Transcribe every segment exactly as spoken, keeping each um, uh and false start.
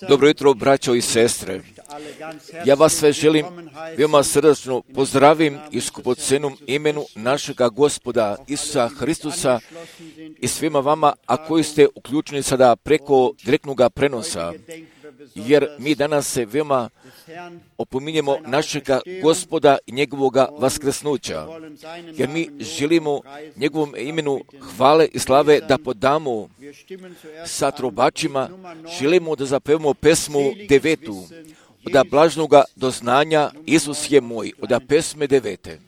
Dobro jutro, braćo i sestre. Ja vas sve želim veoma srdačno pozdravim i skupocenom imenu našega Gospoda Isusa Hristusa i svima vama, a koji ste uključeni sada preko direktnog prenosa, jer mi danas se veoma opominjemo našega Gospoda i njegovoga vaskrsnuća, jer mi želimo njegovom imenu hvale i slave da podamo sa trobačima, želimo da zapevamo pesmu devetu, od blažnoga doznanja Isus je moj, od pesme devete.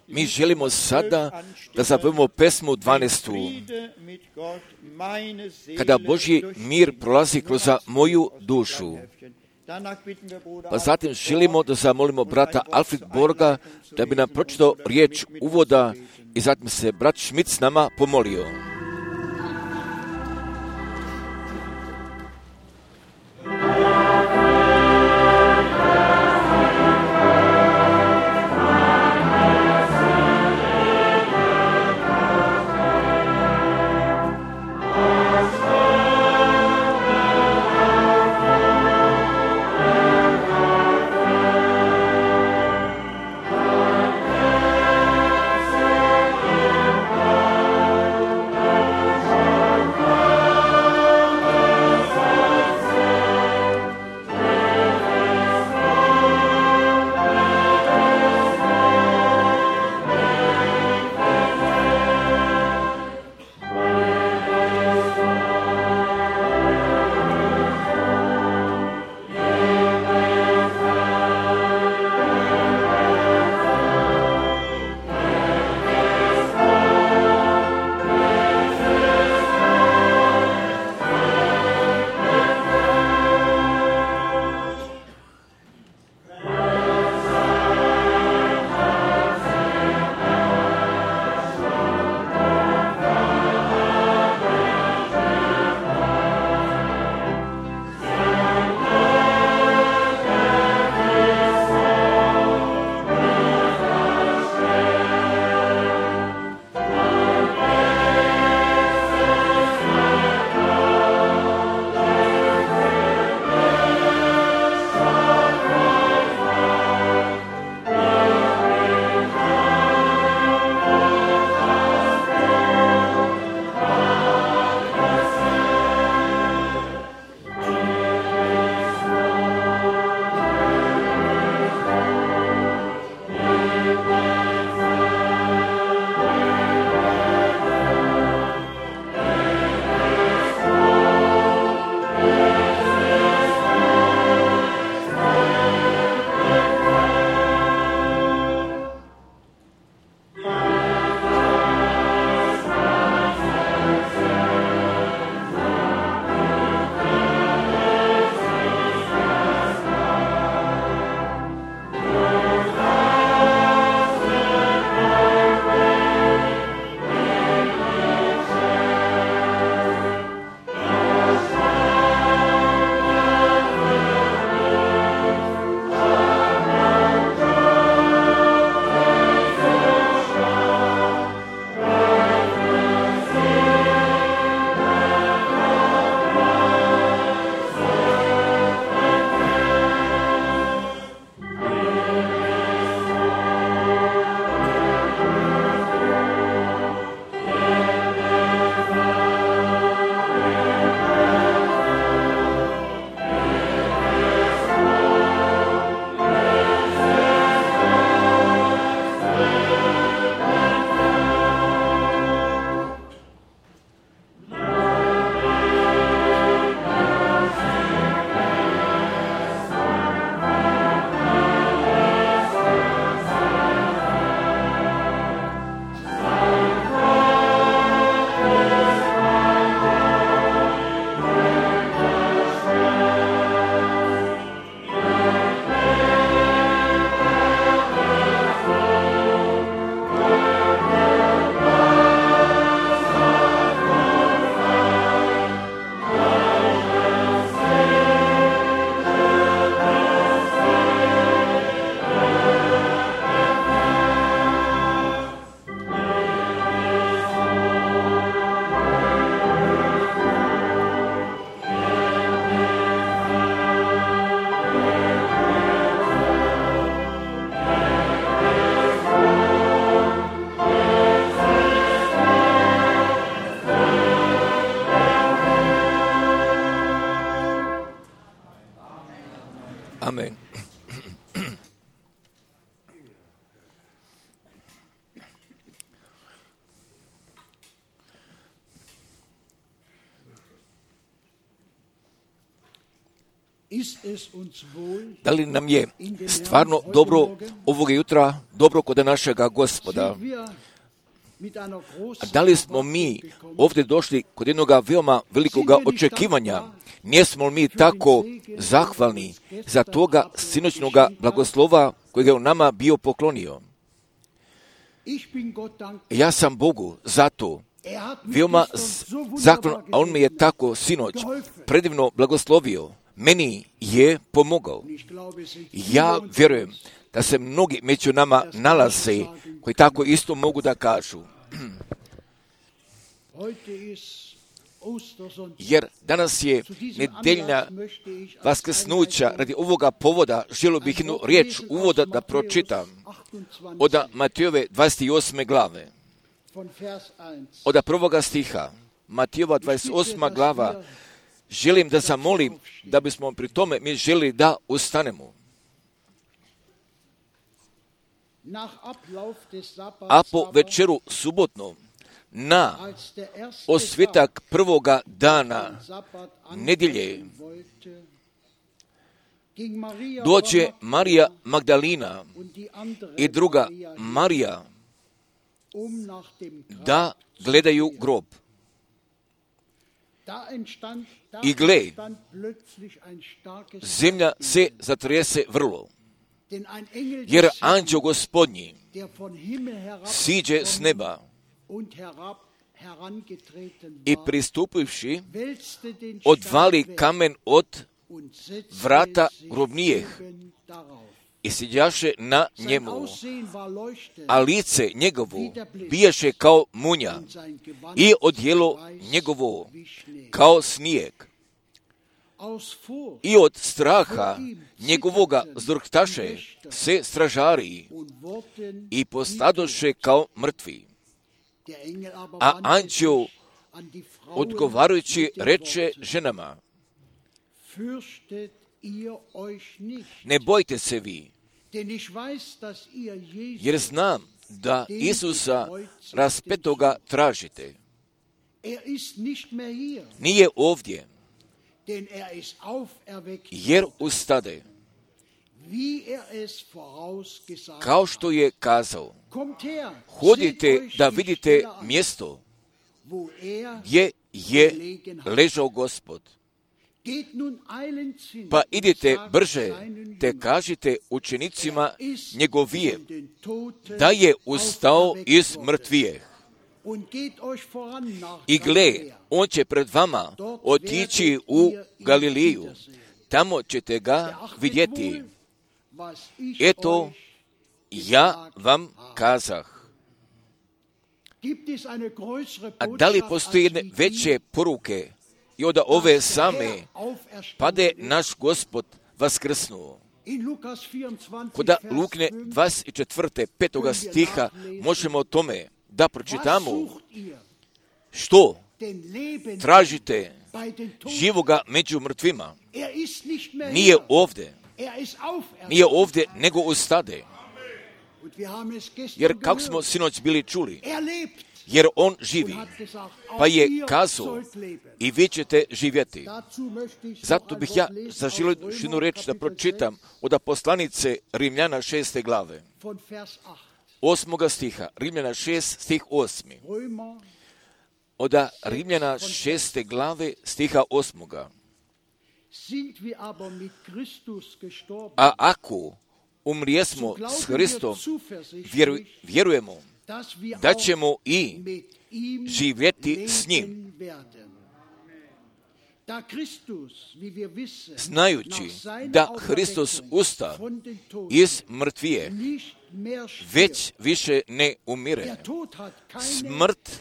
Mi želimo sada da zapevamo pesmu dvanaestu. Kada Božji mir prolazi kroz moju dušu. Pa zatim želimo da zamolimo brata Alfred Borga da bi nam pročitao riječ uvoda i zatim se brat Schmidt s nama pomolio. Oh, Da li nam je stvarno dobro ovoga jutra, dobro kod našega Gospoda? Da li smo mi ovdje došli kod jednog veoma velikoga očekivanja? Nijesmo li mi tako zahvalni za toga sinoćnoga blagoslova kojeg je u nama bio poklonio? Ja sam Bogu za to veoma zahvalan, a On me je tako sinoć predivno blagoslovio. Meni je pomogao. Ja vjerujem da se mnogi među nama nalaze koji tako isto mogu da kažu. Jer danas je nedeljna vaskrsnuća. Radi ovoga povoda želio bih jednu riječ uvoda da pročitam od Matejove dvadeset osme glave. Od prvoga stiha. Matejova dvadeset osma glava. Želim da zamolim da bismo pri tome mi želi da ustanemo. A po večeru subotnom, na osvitak prvoga dana nedjelje, dođe Marija Magdalina i druga Marija da gledaju grob. I gle, zemlja se zatrese vrlo, jer anđeo Gospodnji siđe s neba i pristupivši odvali kamen od vrata grobnijeh i siđaše na njemu, a lice njegovo bijaše kao munja i odjelo njegovo kao snijeg. I od straha njegovoga zdrhtaše se stražari i postadoše kao mrtvi. A anđeo odgovarajući reče ženama: ne bojte se vi, jer znam da Isusa raspetoga tražite. Nije ovdje, jer ustade, kao što je kazao. Hodite da vidite mjesto gdje je ležao Gospod. Pa idite brže, te kažite učenicima njegovije da je ustao iz mrtvijeh. I gle, on će pred vama otići u Galiliju. Tamo ćete ga vidjeti. Eto, ja vam kazah. A da li postoji jedne veće poruke i od ove same, pade naš Gospod vaskrsnuo? Kod Lukne dvadeset četvrte petoga stiha možemo o tome da pročitamo što tražite živoga među mrtvima. Nije ovdje. Nije ovdje, nego ustade. Jer kako smo sinoć bili čuli, jer on živi, pa je kazao i vi ćete živjeti. Zato bih ja zaželio jednu reč da pročitam od poslanice Rimljana šeste glave, osmoga stiha. Rimljana šest, stih osmi. Od Rimljana šeste glave, stiha osmoga. A ako umrijesmo s Hristom, vjeru, vjerujemo da ćemo i živjeti s njim. Znajući da Hristos usta iz mrtvije, već više ne umire. Smrt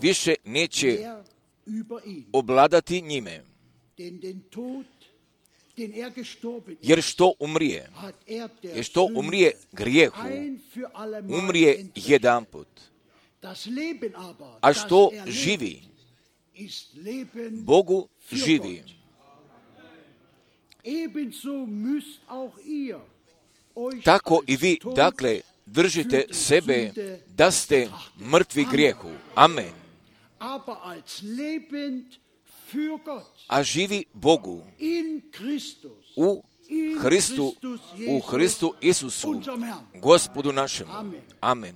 više neće obladati njime. Jer što umrije? Jer što umrije grijehu? Umrije jedanput. A što živi? Bogu živi. Tako i vi, dakle, držite sebe da ste mrtvi grijehu. Amen. a živi Bogu u Hristu, u Hristu Isusu, Gospodu našemu. Amen.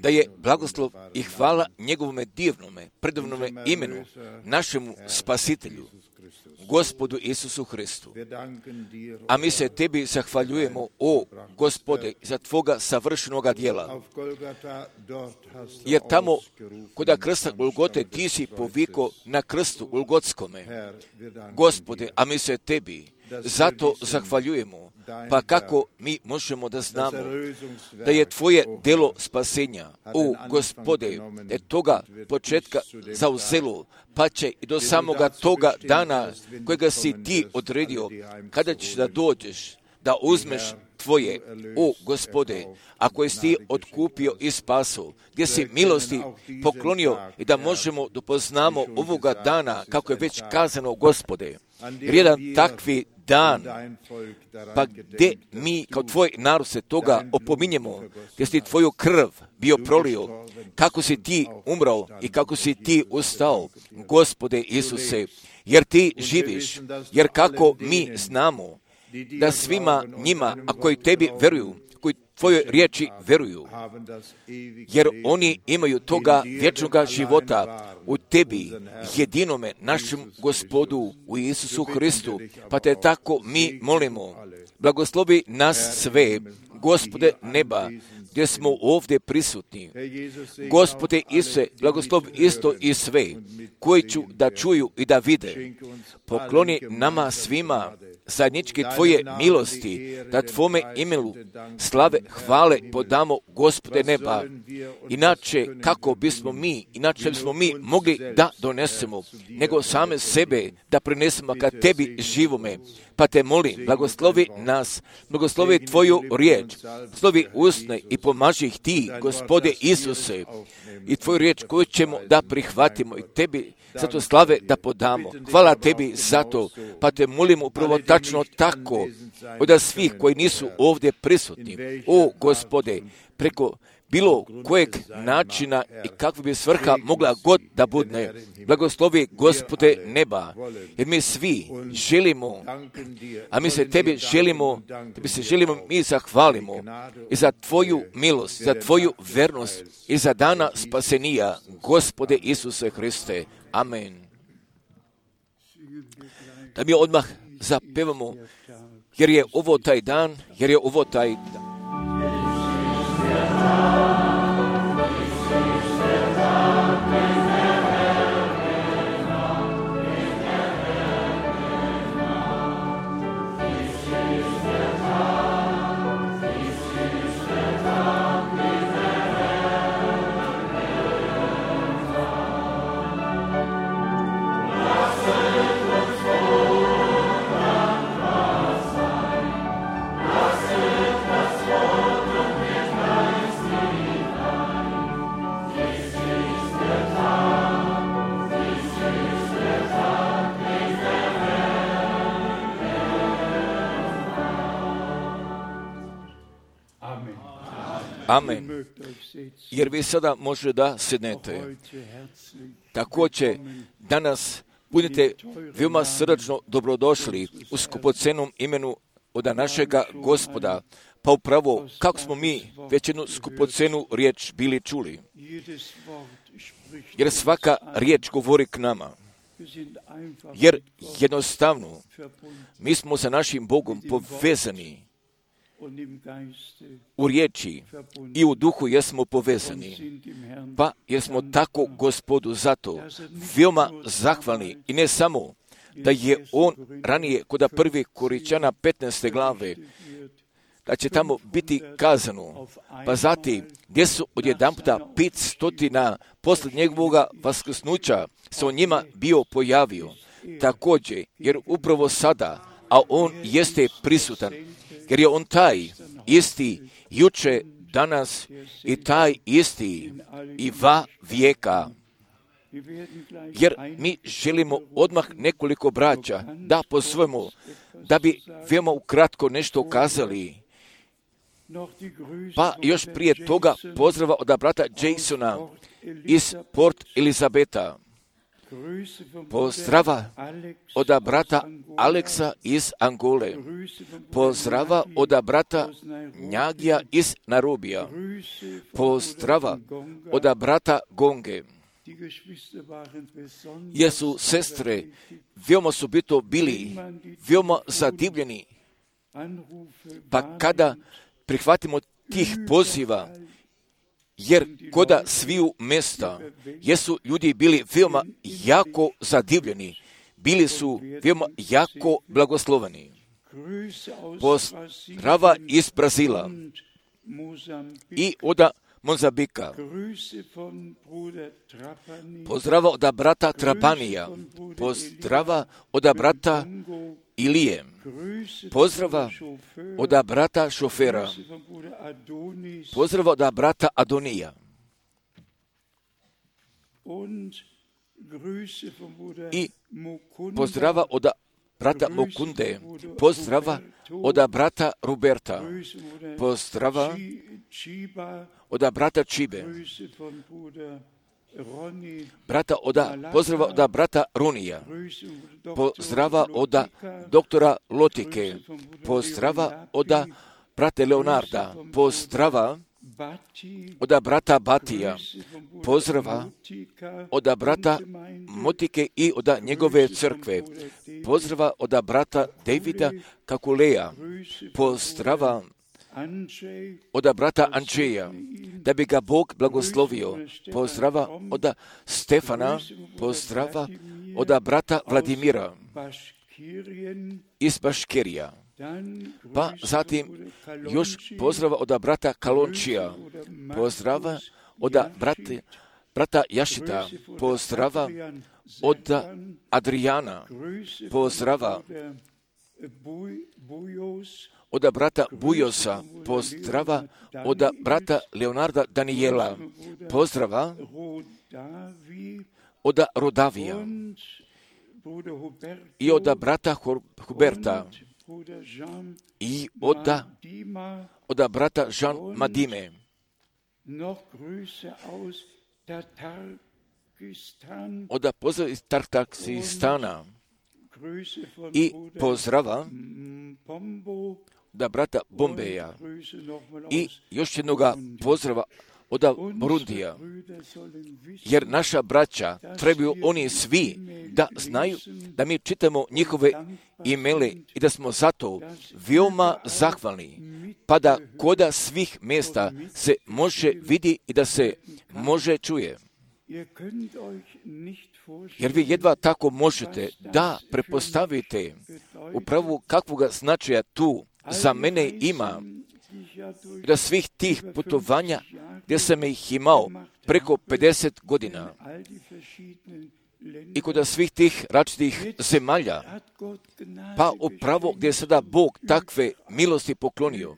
Da je blagoslov i hvala njegovome divnome, predivnome imenu, našemu Spasitelju, Gospodu Isusu Hristu. A mi se tebi zahvaljujemo, o Gospode, za tvoga savršenoga djela. Jer tamo, kod krsta Golgote, ti si poviko na krstu Golgotskome. Gospode, a mi se tebi zato zahvaljujemo. Pa kako mi možemo da znamo da je tvoje delo spasenja, o Gospode, da je toga početka zauzelo, pa će i do samoga toga dana kojega si ti odredio, kada ćeš da dođeš, da uzmeš tvoje, o Gospode, a koje si ti otkupio i spaso, gdje si milosti poklonio i da možemo da poznamo ovoga dana, kako je već kazano, Gospode. Jer jedan takvi dan, pa gdje mi kao tvoj narod se toga opominjemo, gdje si tvoju krv bio prolio, kako si ti umrao i kako si ti ustao, Gospode Isuse, jer ti živiš, jer kako mi znamo da svima njima, a koji tebi veruju, koji tvojoj riječi veruju, jer oni imaju toga vječnoga života u tebi, jedinome našem Gospodu, u Isusu Hristu, pa te tako mi molimo. Blagoslovi nas sve, Gospode neba, gdje smo ovdje prisutni. Gospode Isuse, blagoslov isto i sve, koji ću da čuju i da vide. Pokloni nama svima zajedničke tvoje milosti, da tvome imenu slave, hvale podamo, Gospode neba. Inače, kako bismo mi, inače bismo mi mogli da donesemo, nego same sebe da prinesemo ka tebi živome. Pa te molim, blagoslovi nas, blagoslovi tvoju riječ, slovi usne i pomaži ih ti, Gospode Isuse, i tvoju riječ koju ćemo da prihvatimo i tebi zato slave da podamo. Hvala tebi za to, pa te molimo upravo tačno tako, od svih koji nisu ovdje prisutni. O Gospode, preko bilo kojeg načina i kakva bi svrha mogla god da budne. Blagoslovi, Gospode neba, jer mi svi želimo, a mi se tebi želimo, tebi se želimo, mi zahvalimo i za tvoju milost, za tvoju vernost i za dana spasenija, Gospode Isuse Hriste. Amen. Da mi odmah zapevamo, jer je ovo taj dan, jer je ovo taj dan. Amen. Jer vi sada možete da sednete. Također, danas budite veoma srdačno dobrodošli u skupocenom imenu od našega Gospoda. Pa upravo, kako smo mi već jednu skupocenu riječ bili čuli. Jer svaka riječ govori k nama. Jer jednostavno, mi smo sa našim Bogom povezani. U riječi i u duhu jesmo povezani, pa jesmo tako Gospodu zato veoma zahvalni i ne samo da je on ranije kod prvi Koričana petnaeste glave, da će tamo biti kazano, pa zatim gdje su odjedanputa pet stotina poslije njegovoga vaskrsnuća se on njima bio pojavio. Također, jer upravo sada, a on jeste prisutan, jer je on taj isti juče, danas i taj isti i va vijeka. Jer mi želimo odmah nekoliko braća da posvojimo, da bi veoma ukratko nešto kazali. Pa još prije toga pozdrava od brata Jasona iz Port Elizabeta. Pozdrava od brata Aleksa iz Angole. Pozdrava od brata Njagija iz Narubija. Pozdrava od brata Gonge. Jer su sestre, veoma su bito bili, veoma zadivljeni. Pa kada prihvatimo tih poziva, jer koda sviju mesta, jesu ljudi bili veoma jako zadivljeni, bili su veoma jako blagosloveni. Pozdrava iz Brazila i od Mozambika. Pozdrava od brata Trapanija. Pozdrava od brata Ilije. Pozdrava od brata Šofera. Pozdrava od brata Adonija. I pozdrava od brata Mokunde. Pozdrava od brata Roberta. Pozdrava od brata Čibe. Brata oda, pozdrava od brata Runija. Pozdrava od doktora Lotike. Pozdrava od brata Leonarda. Pozdrava od brata Batija. Pozdrava od brata Motike i od njegove crkve. Pozdrava od brata Davida Kakuleja. Pozdrava od brata Andžeja, da bi ga Bog blagoslovio. Pozdrava od Stefana, pozdrava od brata Vladimira iz Baškirija. Pa zatim još pozdrava od brata Kalončija, pozdrava od brata, brata Jašita, pozdrava od Adriana, pozdrava od brata Bujosa, pozdrava od brata Leonarda Danijela, pozdrava od Rodavija i od brata Huberta i od, od brata Jean Madime. Od pozdrava iz Tartakistana i pozdrava da brata Bombeja i još jednoga pozdrava od Burundija. Jer naša braća trebaju oni svi da znaju da mi čitamo njihove imele i da smo zato veoma zahvalni, pa da koda svih mjesta se može vidi i da se može čuje. Jer vi jedva tako možete da prepostavite upravo kakvoga značaja tu za mene ima, da svih tih putovanja gdje sam ih imao preko pedeset godina i kod svih tih različitih zemalja, pa upravo gdje je sada Bog takve milosti poklonio.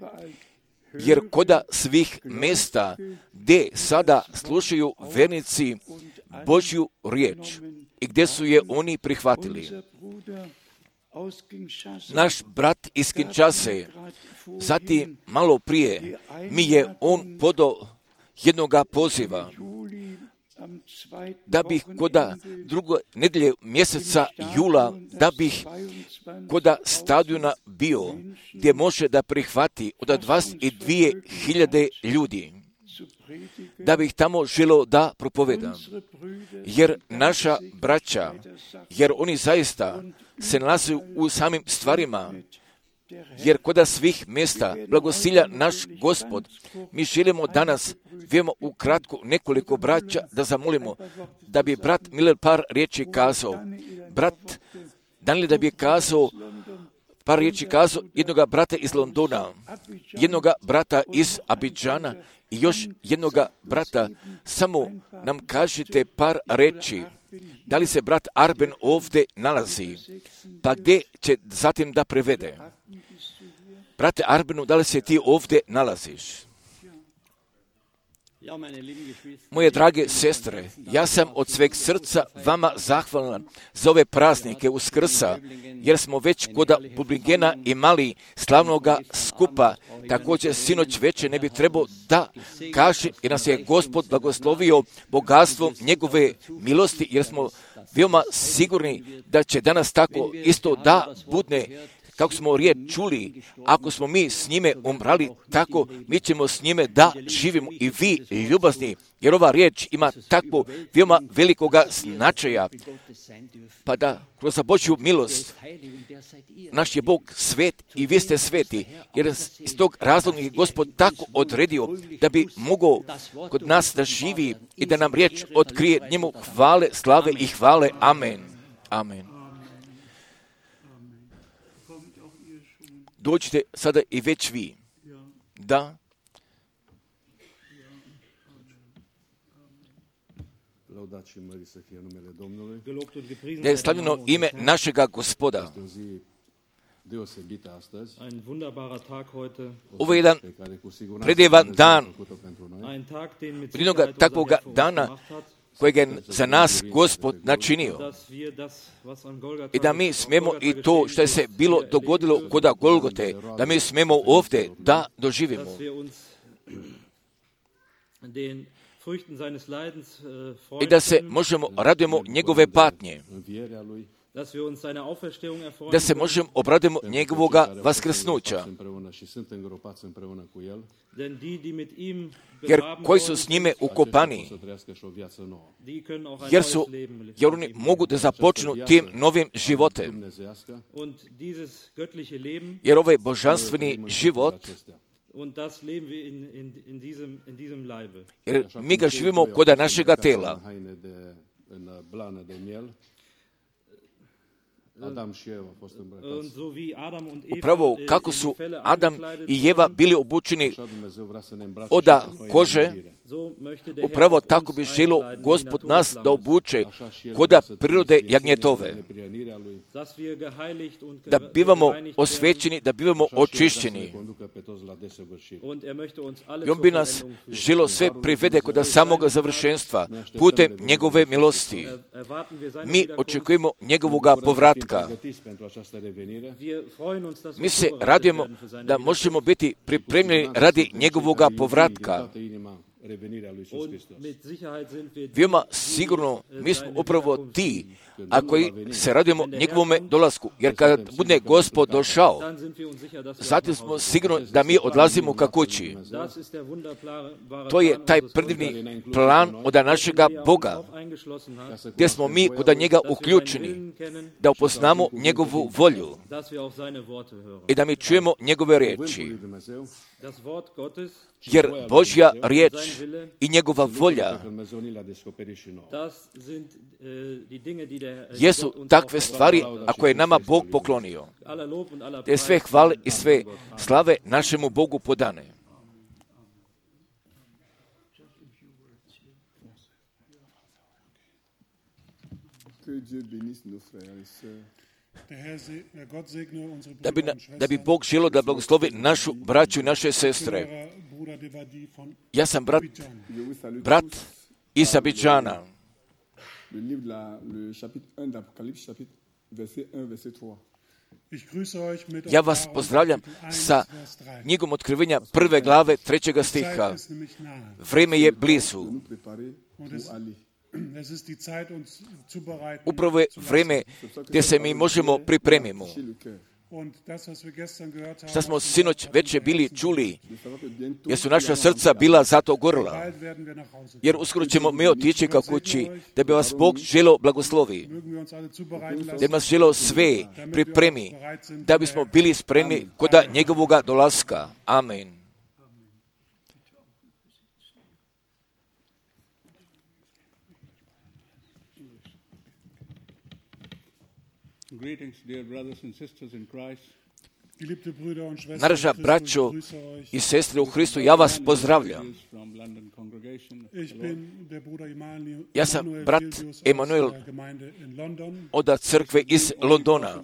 Jer koda svih mjesta gdje sada slušaju vernici Božju riječ i gdje su je oni prihvatili. Naš brat iz Kinshase, zatim malo prije, mi je on podao jednoga poziva da bih koda drugo nedelje mjeseca jula, da bih koda stadiona bio, gdje može da prihvati od dvadeset dvije hiljade ljudi, da bih tamo želio da propovedam. Jer naša braća, jer oni zaista se nalaze u samim stvarima, jer koda svih mjesta blagosilja naš Gospod, mi želimo danas veoma ukratko nekoliko braća da zamolimo da bi brat Miller par riječi kazao. Brat Daniel da bi kazao par riječi kazao jednoga brata iz Londona, jednoga brata iz Abidžana i još jednoga brata. Samo nam kažite par riječi. Da li se brat Arben ovdje nalazi? Pa gdje će zatim da prevede? Brate Arbenu, da li se ti ovdje nalaziš? Moje drage sestre, ja sam od sveg srca vama zahvalan za ove praznike Uskrsa, jer smo već kod Bublingena imali slavnoga skupa. Također sinoć veče ne bi trebao da kaže, jer nas je Gospod blagoslovio bogatstvom njegove milosti, jer smo veoma sigurni da će danas tako isto da budne. Kako smo riječ čuli, ako smo mi s njime umrali, tako mi ćemo s njime da živimo i vi ljubazni, jer ova riječ ima takvo veoma velikoga značaja. Pa da kroz Božju milost naš je Bog svet i vi ste sveti, jer iz tog razloga je Gospod tako odredio da bi mogao kod nas da živi i da nam riječ otkrije njemu hvale, slave i hvale. Amen. Amen. Dođite sada i već vi. Da. Da je slavljeno ime našega Gospoda. Ovo je jedan predivan dan, jednoga takvoga dana kojeg je za nas Gospod načinio. I da mi smemo i to što je se bilo dogodilo kod Golgote, da mi smemo ovdje da doživimo. I da se možemo radujemo njegove patnje. Da se možemo obradimo njegovoga vaskrsnuća. Jer koji su s njime ukopani, jer, su, jer oni mogu da započnu tim novim životem. Jer ovaj božanstveni život, jer mi ga živimo kod našega tela. Upravo kako su Adam i Jeva bili obučeni od kože, upravo tako bi želio Gospod nas da obuče kod prirode jagnjetove. Da bivamo osvećeni, da bivamo očišćeni. I on bi nas želio sve privede kod samoga završenstva putem njegove milosti. Mi očekujemo njegovoga povratka. Mi se radujemo da možemo biti pripremljeni radi njegovoga povratka. Veoma sigurno mi smo upravo ti, a koji se radujemo njegovome dolasku, jer kada bude Gospod došao, zatim smo sigurno da mi odlazimo ka kući. To je taj predivni plan od našega Boga, gdje smo mi kod njega uključeni, da upoznamo njegovu volju i da mi čujemo njegove riječi. Jer Božja riječ i njegova volja jesu takve stvari, a koje je nama Bog poklonio. Te sve hvale i sve slave našemu Bogu podane. Da bi, da bi Bog želio da blagoslovi našu braću i naše sestre. Ja sam brat, brat iz Abidžana. Ja vas pozdravljam sa knjigom otkrivenja prve glave trećega stiha. Vrijeme je blizu. Upravo je vrijeme gdje se mi možemo pripremimo. Što smo sinoć već bili čuli, jer su naša srca bila zato gorila. Jer uskoro ćemo mi otići ka kući, da bi vas Bog želio blagoslovi. Da bi vas želio sve pripremi, da bismo bili spremni kod njegovoga dolaska. Amen. Greetings, dear brothers and sisters in Christ. Naša braćo i sestre u Hristu, ja vas pozdravljam. Ja sam brat Emanuel od crkve iz Londona.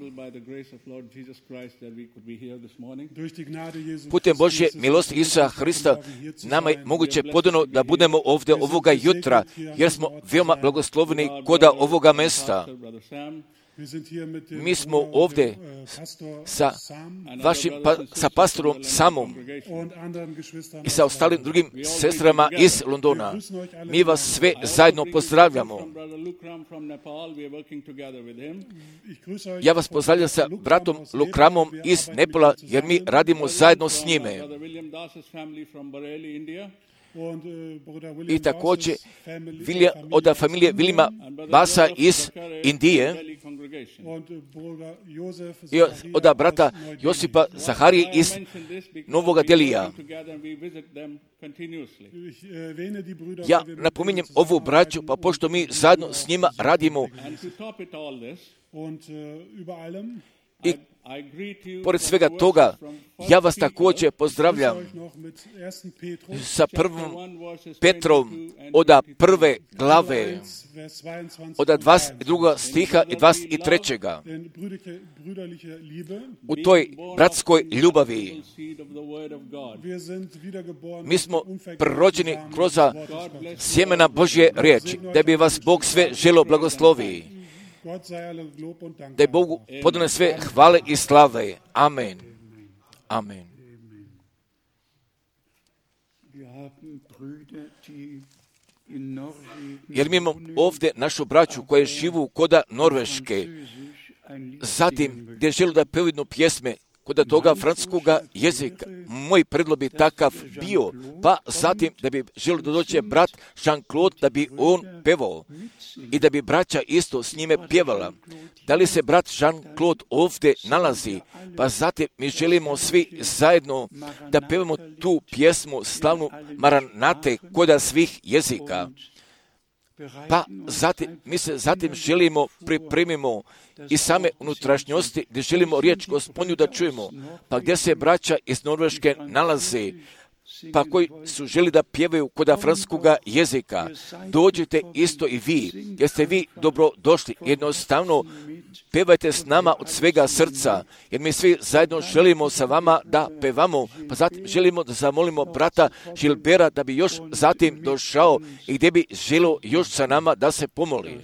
Putem Božje milosti Isusa Hrista nama je moguće podano da budemo ovdje ovoga jutra, jer smo veoma blagosloveni koda ovoga mesta. Mi smo ovdje sa vašim pa, sa pastorom Samom i sa ostalim drugim sestrama iz Londona. Mi vas sve zajedno pozdravljamo. Ja vas pozdravljam sa bratom Lukramom iz Nepala, jer mi radimo zajedno s njime. I također Vilja, od familije Vilima Basa iz Indije i od brata Josipa Zaharije iz Novoga Delija. Ja napominjem ovu braću, pa pošto mi zajedno s njima radimo i pored svega toga, ja vas također pozdravljam sa prvom Petrom od prve glave, od dvadeset drugog stiha i dvadeset trećeg U toj bratskoj ljubavi mi smo prorođeni kroz sjemena Božje riječi, da bi vas Bog sve želo blagoslovi. Da je Bogu podane sve hvale i slave. Amen. Amen. Jer mi imamo ovdje našu braću koja živu koda Norveške. Zatim, gdje žele da pevaju jednu pjesme kod toga francuskoga jezika. Moj predlog bi takav bio, pa zatim da bi želio da dođe brat Jean-Claude, da bi on pevao i da bi braća isto s njime pjevala. Da li se brat Jean-Claude ovdje nalazi, pa zatim mi želimo svi zajedno da pevamo tu pjesmu slavnu Maranate koda svih jezika. Pa zatim, mi se zatim želimo, pripremimo i same unutrašnjosti, gdje želimo riječ Gospodnju da čujemo, pa gdje se braća iz Norveške nalaze, pa koji su želi da pjevaju koda francuskoga jezika, dođite isto i vi, jer ste vi dobro došli. Jednostavno, pevajte s nama od svega srca, jer mi svi zajedno želimo sa vama da pevamo, pa zatim želimo da zamolimo brata Žilbera da bi još zatim došao i gdje bi želio još sa nama da se pomoli.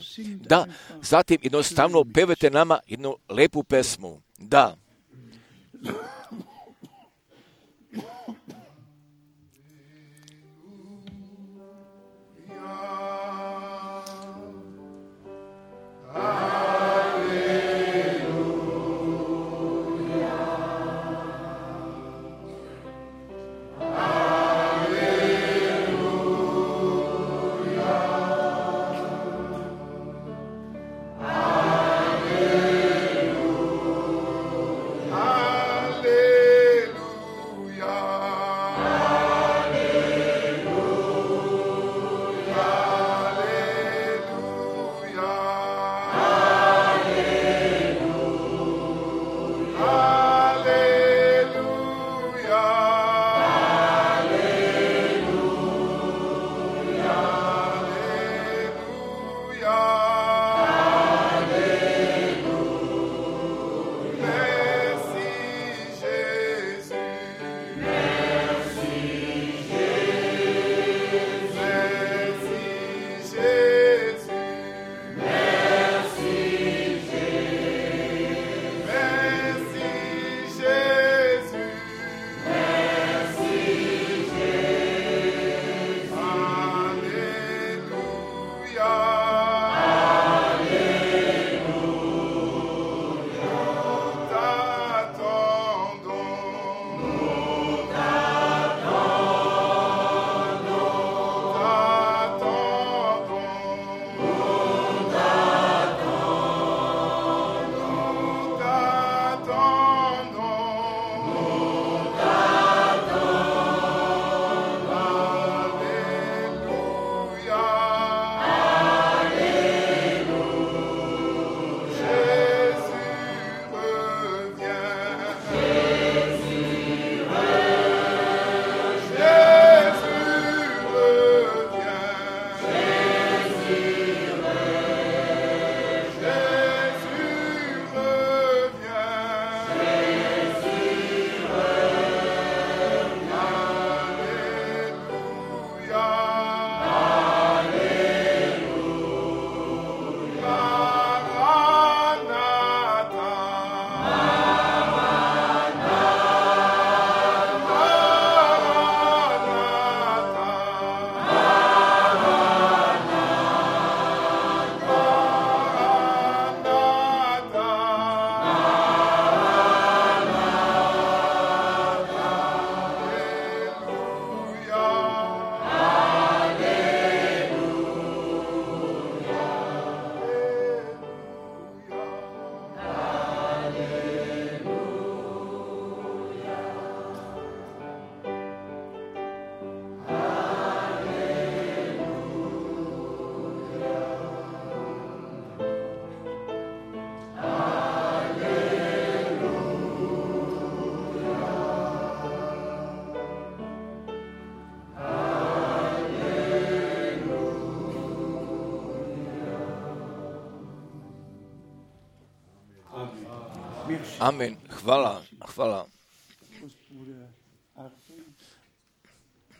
Da, zatim jednostavno pevajte nama jednu lepu pesmu. Da. Alleluia. Amen. Hvala, hvala.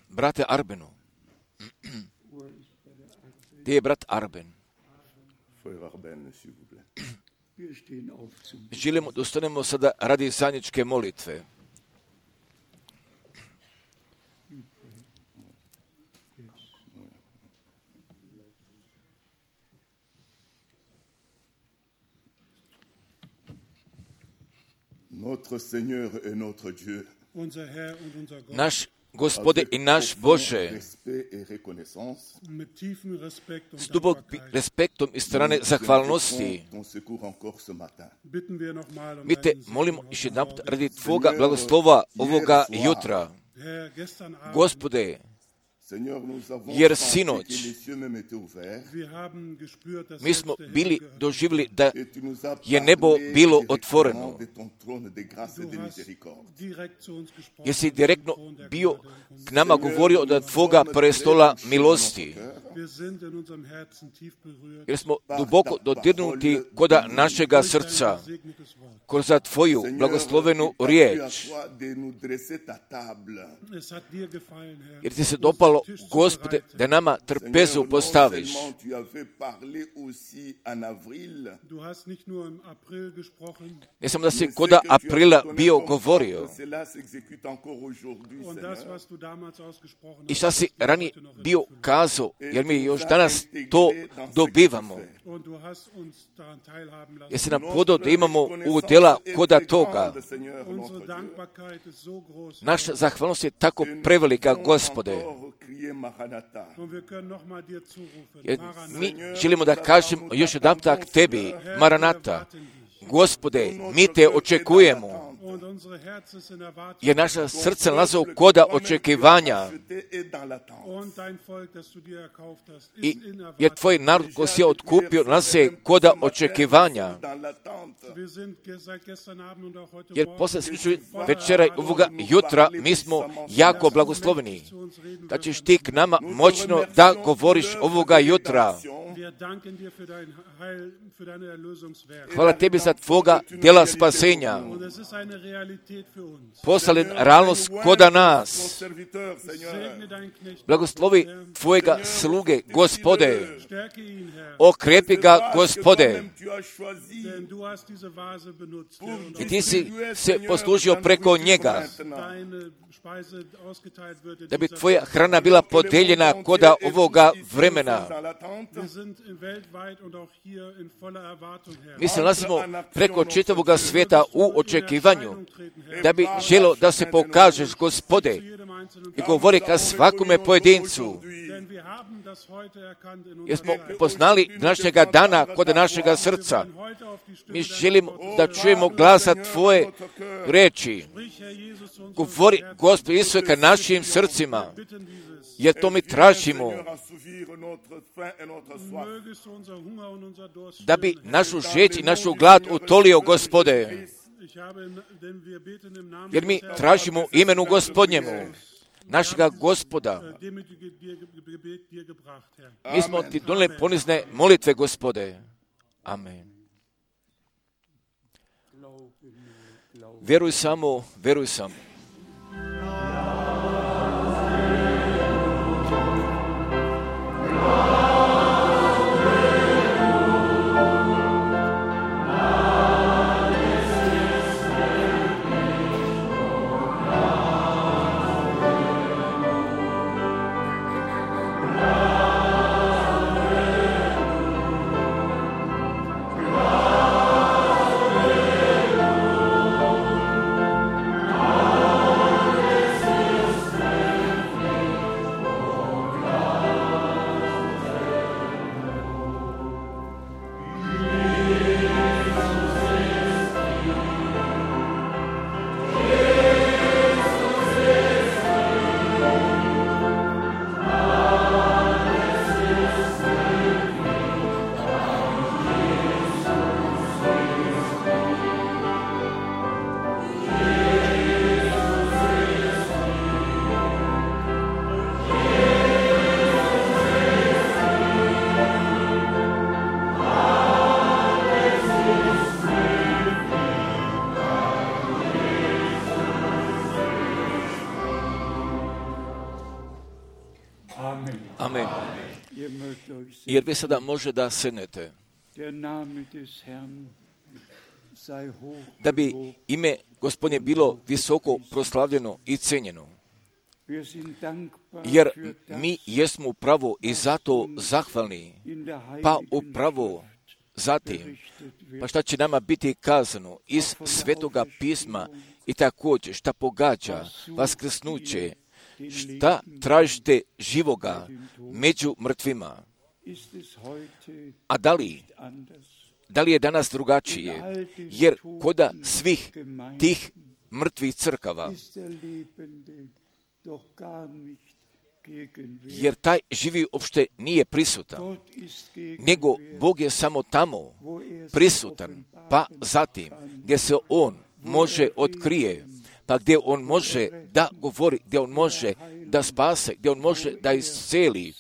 Brate Arbenu. Gdje je brat Arben? Želimo da ustanemo sada radi zajedničke molitve. Notre Seigneur et notre Dieu. Naš Gospode i naš Bože, s dubokim respektom i strane zahvalnosti, mi te molimo još jedan put radi Tvoga blagoslova ovoga jutra. Gospode, jer sinoć mi smo bili doživjeli da je nebo bilo otvoreno. Jer si direktno bio k nama govorio od Tvoga prestola milosti. Jer smo duboko dodirnuti koda našega srca, kroz Tvoju blagoslovenu riječ. Jer ti se dopalo, Gospode, da nama trpezu postaviš. Ne samo da si koda aprila bio govorio. I šta si ranije bio kazao, jer mi još danas to dobivamo. Jer si nam podao da imamo udjela koda toga. Naša zahvalnost je tako prevelika, Gospode. Jer mi želimo da kažemo još jedan tak Tebi, Maranata. Gospode, mi te očekujemo. Jer naša srca nalaze u koda očekivanja. I jer Tvoj narod ko si je otkupio nalaze koda očekivanja. Jer posle slučaju večera i ovoga jutra mi smo jako blagosloveni. Da ćeš ti k nama moćno da govoriš ovoga jutra. Hvala Tebi za Tvoga djela spasenja. Poslalen realnost koda nas. Blagoslovi Tvojega sluge, Gospode. Okrepi ga, Gospode. I Ti si se poslužio preko njega. Da bi Tvoja hrana bila podeljena koda ovoga vremena. Mi se nalazimo preko čitavoga svijeta u očekivanju, da bi želo da se pokažeš, Gospode, i govori ka svakome pojedincu. Jer smo poznali današnjega dana kod našega srca. Mi želimo da čujemo glasa Tvoje reči. Govori, Gospod Isuse, ka našim srcima. Jer to mi tražimo. Da bi našu žeđ i našu glad utolio, Gospode. Jer mi tražimo imenu Gospodnjemu, našega Gospoda. Mi smo Ti donijeli ponizne molitve, Gospode. Amen. Vjeruj samo, vjeruj samo. Oh Amen. Jer vi sada može da sednete. Da bi ime Gospodnje bilo visoko proslavljeno i cenjeno. Jer mi jesmo upravo i zato zahvalni, pa upravo zatim, pa šta će nama biti kazano iz Svetoga pisma i također šta pogađa vaskrsnuće, šta tražite živoga među mrtvima. A da li, da li je danas drugačije? Jer koda svih tih mrtvih crkava, jer taj živi uopšte nije prisutan, nego Bog je samo tamo prisutan, pa zatim gdje se On može otkrije, pa gdje On može da govori, gdje On može da spase, gdje On može da isceli,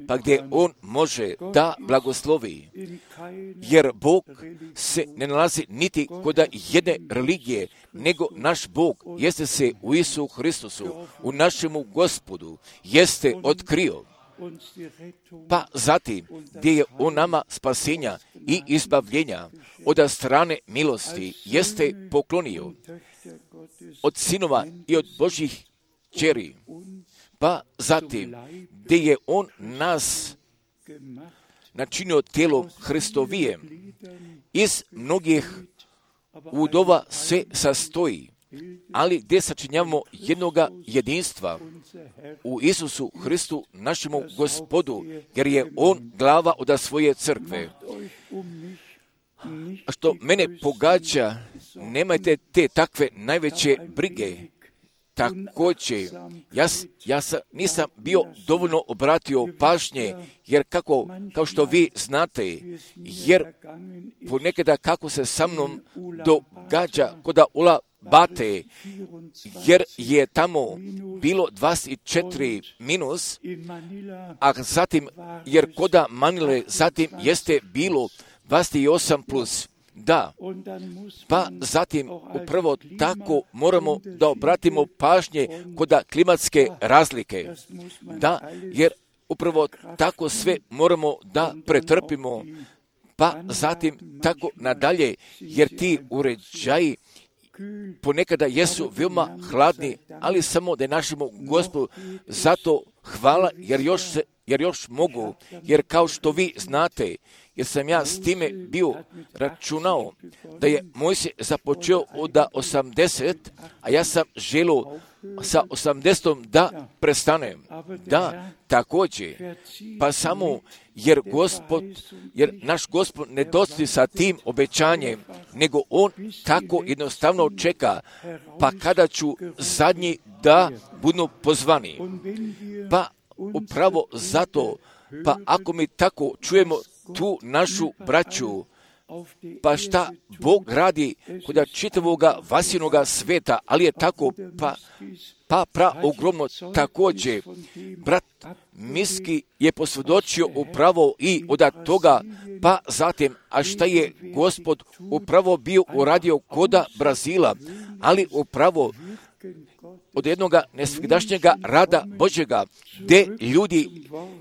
pa gdje On može da blagoslovi. Jer Bog se ne nalazi niti kod jedne religije, nego naš Bog jeste se u Isu Hristusu, u našemu Gospodu, jeste otkrio. Pa zatim, gdje je On nama spasenja i izbavljenja od strane milosti, jeste poklonio od sinova i od Božjih kćeri. Pa zatim, gdje je On nas načinio tijelom Hristovijem, iz mnogih udova se sastoji, ali gdje sačinjavamo jednoga jedinstva u Isusu Hristu, našemu Gospodu, jer je On glava od svoje crkve. A što mene pogađa, nemajte te takve najveće brige. Također, ja, ja sam, nisam bio dovoljno obratio pažnje, jer kako, kao što vi znate, jer ponekada kako se sa mnom događa koda Ula Bate, jer je tamo bilo dvadeset četiri minus, a zatim, jer koda Manile, zatim jeste bilo dvadeset osam plus. Da, pa zatim upravo tako moramo da obratimo pažnje kod klimatske razlike. Da, jer upravo tako sve moramo da pretrpimo, pa zatim tako nadalje, jer ti uređaji ponekada jesu veoma hladni, ali samo da je našemu Gospodu zato hvala, jer još, se, jer još mogu, jer kao što vi znate, jer sam ja s time bio računao da je Mojsije započeo od osamdeset, a ja sam želio sa osamdesetom da prestanem. Da, također, pa samo jer Gospod, jer naš Gospod ne dosti sa tim obećanjem, nego On tako jednostavno čeka, pa kada ću zadnji da budu pozvani. Pa upravo zato, pa ako mi tako čujemo tu našu braću, pa šta Bog radi kod čitavoga vasinoga sveta, ali je tako, pa, pa pra ogromno također. Brat Miski je posvjedočio upravo i od toga, pa zatim, a šta je Gospod upravo bio uradio koda Brazila, ali upravo od jednoga nesvigdašnjega rada Božjega, gdje ljudi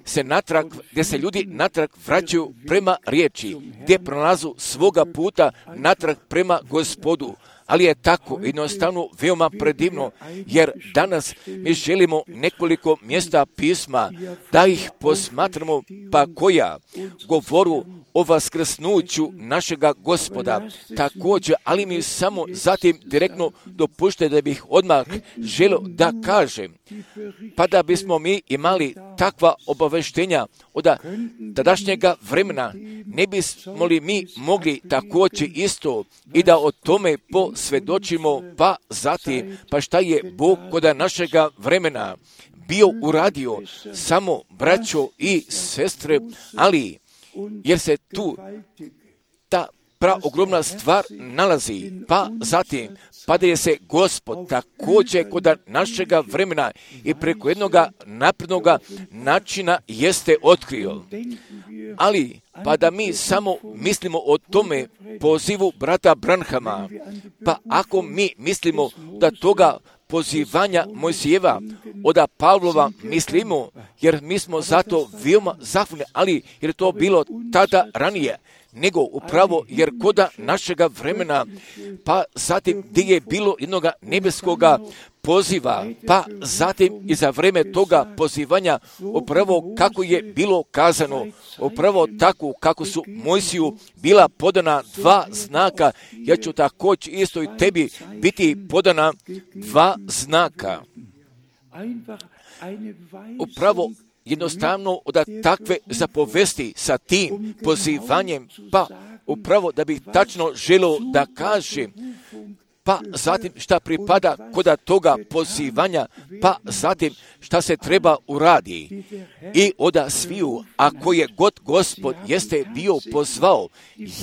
se natrag, gdje se ljudi natrag vraćaju prema riječi, gdje pronalazu svoga puta natrag prema Gospodu. Ali je tako jednostavno veoma predivno, jer danas mi želimo nekoliko mjesta pisma da ih posmatramo, pa koja govoru o vaskrsnuću našega Gospoda. Također, ali mi samo zatim direktno dopušte da bih odmah želio da kažem, pa da bismo mi imali takva obaveštenja od tadašnjega vremena, ne bismo li mi mogli također isto i da o tome posvjedočimo, pa zatim, pa šta je Bog kod našega vremena bio uradio, samo braćo i sestre, ali jer se tu ta praogromna stvar nalazi, pa zatim, pa da je se Gospod također kod našega vremena i preko jednoga naprednoga načina jeste otkrio. Ali, pa da mi samo mislimo o tome pozivu brata Branhama, pa ako mi mislimo da toga pozivanja Mojsijeva, od Pavlova mislimo, jer mi smo zato veoma zahvalni, ali jer to bilo tada ranije, nego upravo jer koda našega vremena, pa zatim gdje je bilo jednoga nebeskoga poziva, pa zatim i za vreme toga pozivanja, upravo kako je bilo kazano, upravo tako kako su Mojsiju bila podana dva znaka, ja ću također isto i tebi biti podana dva znaka. Upravo jednostavno od takve zapovesti sa tim pozivanjem, pa upravo da bih tačno želio da kažem, pa zatim šta pripada koda toga pozivanja, pa zatim šta se treba uradi. I oda sviju, ako je god Gospod jeste bio pozvao,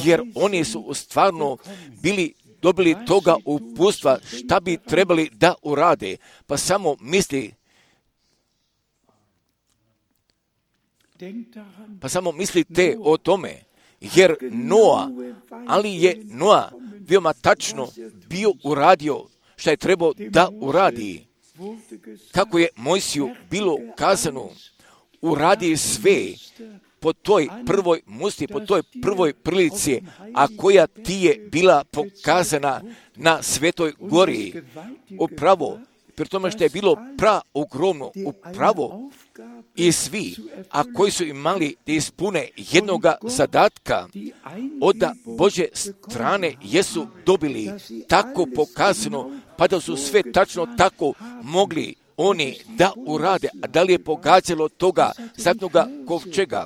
jer oni su stvarno bili dobili toga uputstva šta bi trebali da urade, pa samo misli, pa samo mislite o tome, jer Noa, ali je Noa veoma tačno bio uradio šta je trebao da uradi. Kako je Mojsiju bilo kazano, uradi sve po toj prvoj musti, po toj prvoj prilici, a koja ti je bila pokazana na Svetoj gori. Upravo, pri tome što je bilo pra ogromno, upravo i svi, a koji su imali da ispune jednoga zadatka, od Božje strane jesu dobili tako pokazano, pa da su sve tačno tako mogli oni da urade. A da li je pogađalo toga zadnoga kovčega,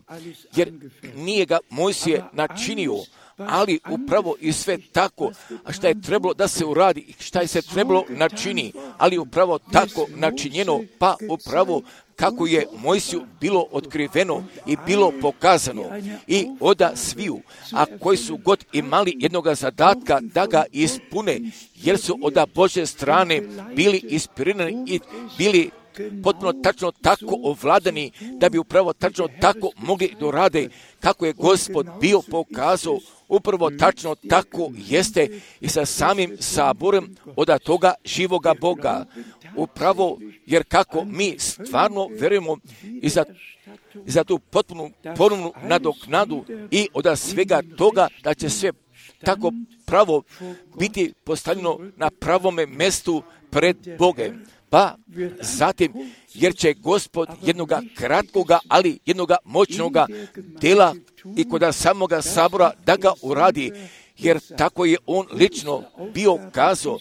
jer nije ga Mojsije načinio, ali upravo i sve tako, a šta je trebalo da se uradi, šta je se trebalo načini, ali upravo tako načinjeno, pa upravo kako je Mojsiju bilo otkriveno i bilo pokazano. I oda sviju, a koji su god imali jednoga zadatka da ga ispune, jer su od Božje strane bili inspirirani i bili potpuno tačno tako ovladani, da bi upravo tačno tako mogli da rade kako je Gospod bio pokazao. Upravo tačno tako jeste i sa samim saborom od toga živoga Boga. Upravo jer kako mi stvarno verujemo i za, i za tu potpunu ponovnu nadoknadu i od svega toga da će sve tako pravo biti postavljeno na pravome mjestu pred Bogem. Pa zatim, jer će Gospod jednoga kratkoga, ali jednoga moćnoga dela i kod samoga sabora da ga uradi, jer tako je on lično bio kazao,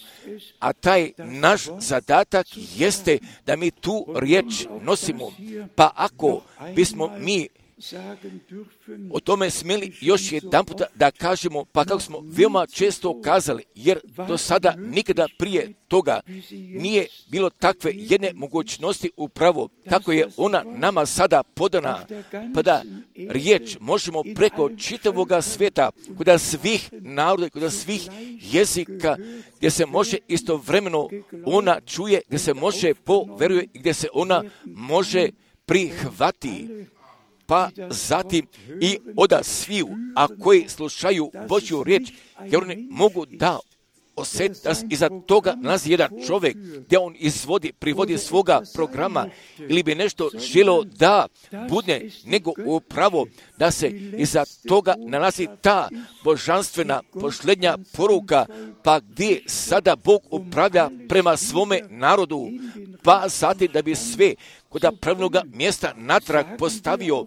a taj naš zadatak jeste da mi tu riječ nosimo. Pa ako bismo mi o tome smjeli još jedan puta da kažemo, pa kako smo veoma često kazali, jer do sada nikada prije toga nije bilo takve jedne mogućnosti upravo, kako je ona nama sada podana, pa da riječ možemo preko čitavoga svijeta, kod svih naroda, kod svih jezika, gdje se može istovremeno ona čuje, gdje se može poveruje i gdje se ona može prihvati. Pa zatim i oda sviju, a koji slušaju Božju riječ, jer oni mogu da osjeti da iza toga nalazi jedan čovjek, gdje on izvodi, privodi svoga programa, ili bi nešto želio da bude, nego upravo da se iza toga nalazi ta božanstvena posljednja poruka, pa gdje sada Bog upravlja prema svome narodu, pa zatim da bi sve kod pravilnoga mjesta natrag postavio,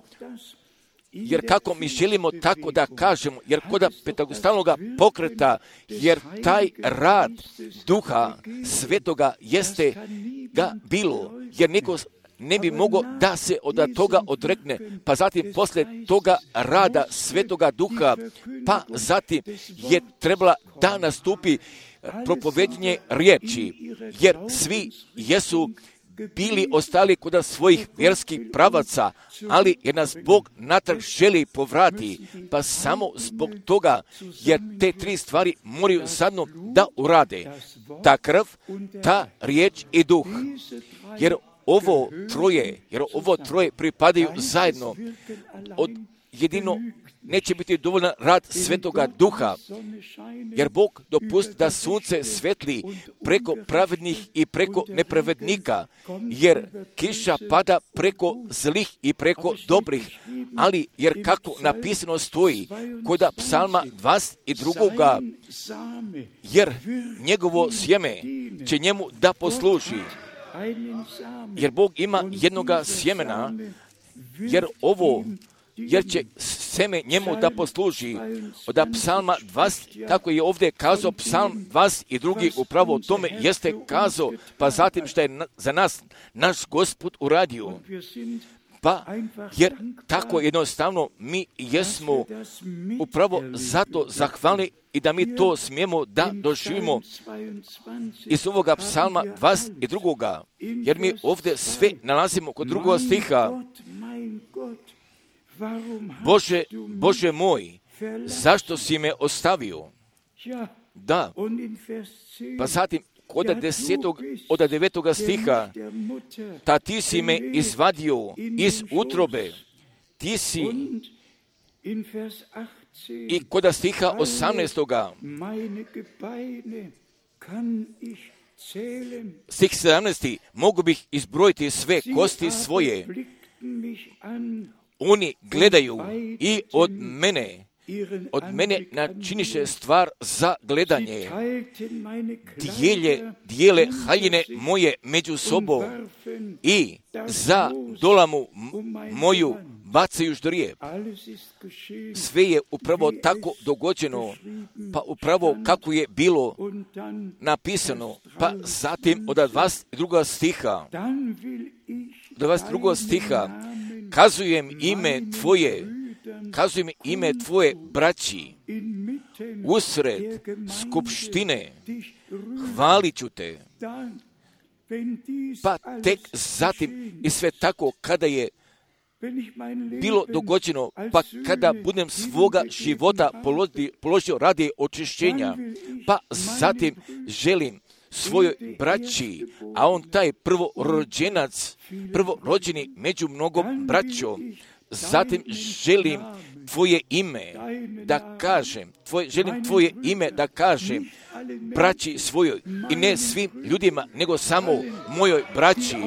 jer kako mi želimo tako da kažemo, jer kod pentagostalnoga pokreta, jer taj rad Duha Svetoga jeste ga bilo, jer niko ne bi mogao da se od toga odrekne, pa zatim poslije toga rada Svetoga Duha, pa zatim je trebala da nastupi propovednje riječi, jer svi jesu bili ostali kod svojih vjerskih pravaca, ali jer nas Bog natrag želi povrati, pa samo zbog toga, jer te tri stvari moraju zadno da urade. Ta krv, ta riječ i duh. Jer ovo troje, jer ovo troje pripadaju zajedno. Od jedino neće biti dovoljan rad Svetoga Duha, jer Bog dopusti da sunce svetli preko pravednih i preko nepravednika, jer kiša pada preko zlih i preko dobrih, ali jer kako napisano stoji kod psalma dvadeset dva, jer njegovo sjeme će njemu da posluži. Jer Bog ima jednoga sjemena, jer ovo, jer će seme njemu da posluži. Od psalma dvadeset, kako je ovdje kazao psalm dvadeset dva, upravo o tome jeste kazao, pa zatim što je na, za nas naš Gospod uradio. Pa, jer tako jednostavno mi jesmo upravo zato zahvalni i da mi to smijemo da doživimo iz ovoga psalma dvadeset dva. Jer mi ovdje sve nalazimo kod drugog stiha. Bože, Bože moj, zašto si me ostavio? Da, pa zatim od desetog, od devetoga stiha, ta ti si me izvadio iz utrobe, ti si, i kod stiha osamnaestoga, stih sedamnaesti, mogu bih izbrojiti sve kosti svoje, oni gledaju i od mene, od mene načiniše stvar za gledanje, dijelje, dijele haljine moje među sobom i za dolamu moju bacaju ždrijeb. Sve je upravo tako dogođeno, pa upravo kako je bilo napisano, pa zatim od dvadeset drugog stiha, dvadeset drugog stiha, kazujem ime Tvoje, kazujem ime Tvoje braći, usred skupštine, hvalit ću Te. Pa tek zatim i sve tako kada je bilo dogođeno, pa kada budem svoga života položio radi očišćenja, pa zatim želim svojoj braći, a on taj prvorođenac, prvorođeni među mnogom braćom, zatim želim Tvoje ime da kažem, tvoje, želim Tvoje ime da kažem braći svojoj, i ne svim ljudima, nego samo mojoj braći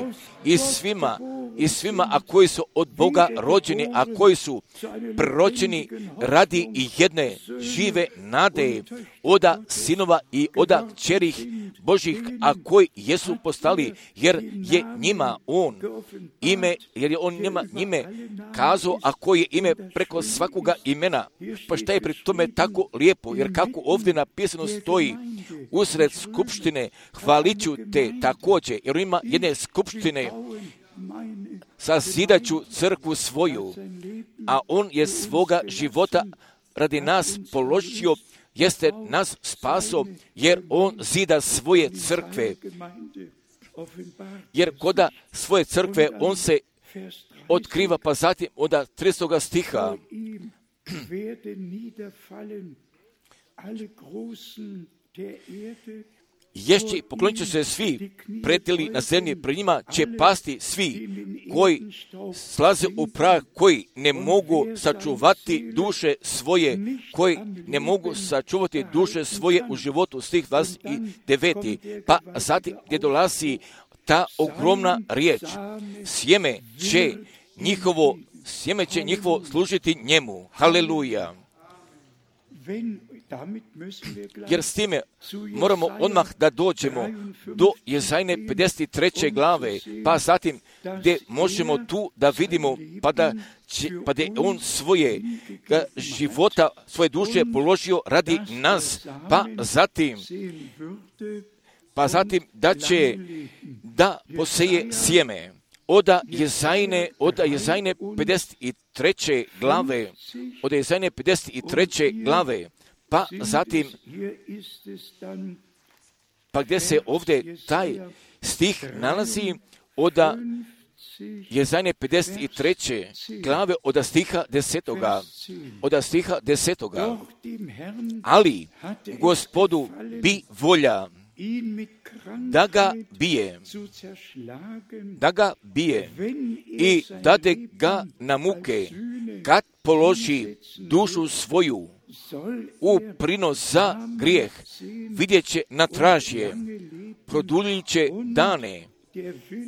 i svima, i svima, a koji su od Boga rođeni, a koji su proročeni radi i jedne žive nade, oda sinova i oda kćerih Božih, a koji jesu postali, jer je njima on ime, jer je on njima njime kazao, a koji je ime preko svakoga imena. Pa šta je pri tome tako lijepo, jer kako ovdje napisano stoji, usred skupštine hvalit ću Te također, jer ima jedne skupštine, sazidat ću crkvu svoju, a on je svoga života radi nas položio, jeste nas spaso, jer on zida svoje crkve. Jer koda svoje crkve on se otkriva, pa zatim od tridesetog stiha, ješće, poklonit će se svi pretili na zemlji, pred njima će pasti svi koji slaze u prah, koji ne mogu sačuvati duše svoje, koji ne mogu sačuvati duše svoje u životu, stih dvadeset devet. Pa zatim gdje dolazi ta ogromna riječ, sjeme će njihovo, sjeme će njihovo služiti njemu. Haleluja. Jer s time moramo odmah da dođemo do Jezajne pedeset treće glave, pa zatim gdje možemo tu da vidimo, pa da će, pa da je on svoje života, svoje duše položio radi nas, pa zatim, pa zatim da će da poseje sjeme. Oda Jezajne, oda Jezajne pedeset treće glave, oda Jezajne pedeset treće glave, pa zatim, pa gdje se ovdje taj stih nalazi, oda Jezajne pedeset treće glave, oda stiha desetoga, oda stiha desetoga, ali Gospodu bi volja da ga bije, da ga bije i dade ga na muke, kad položi dušu svoju u prinos za grijeh, vidjet će na tražje, produljit će dane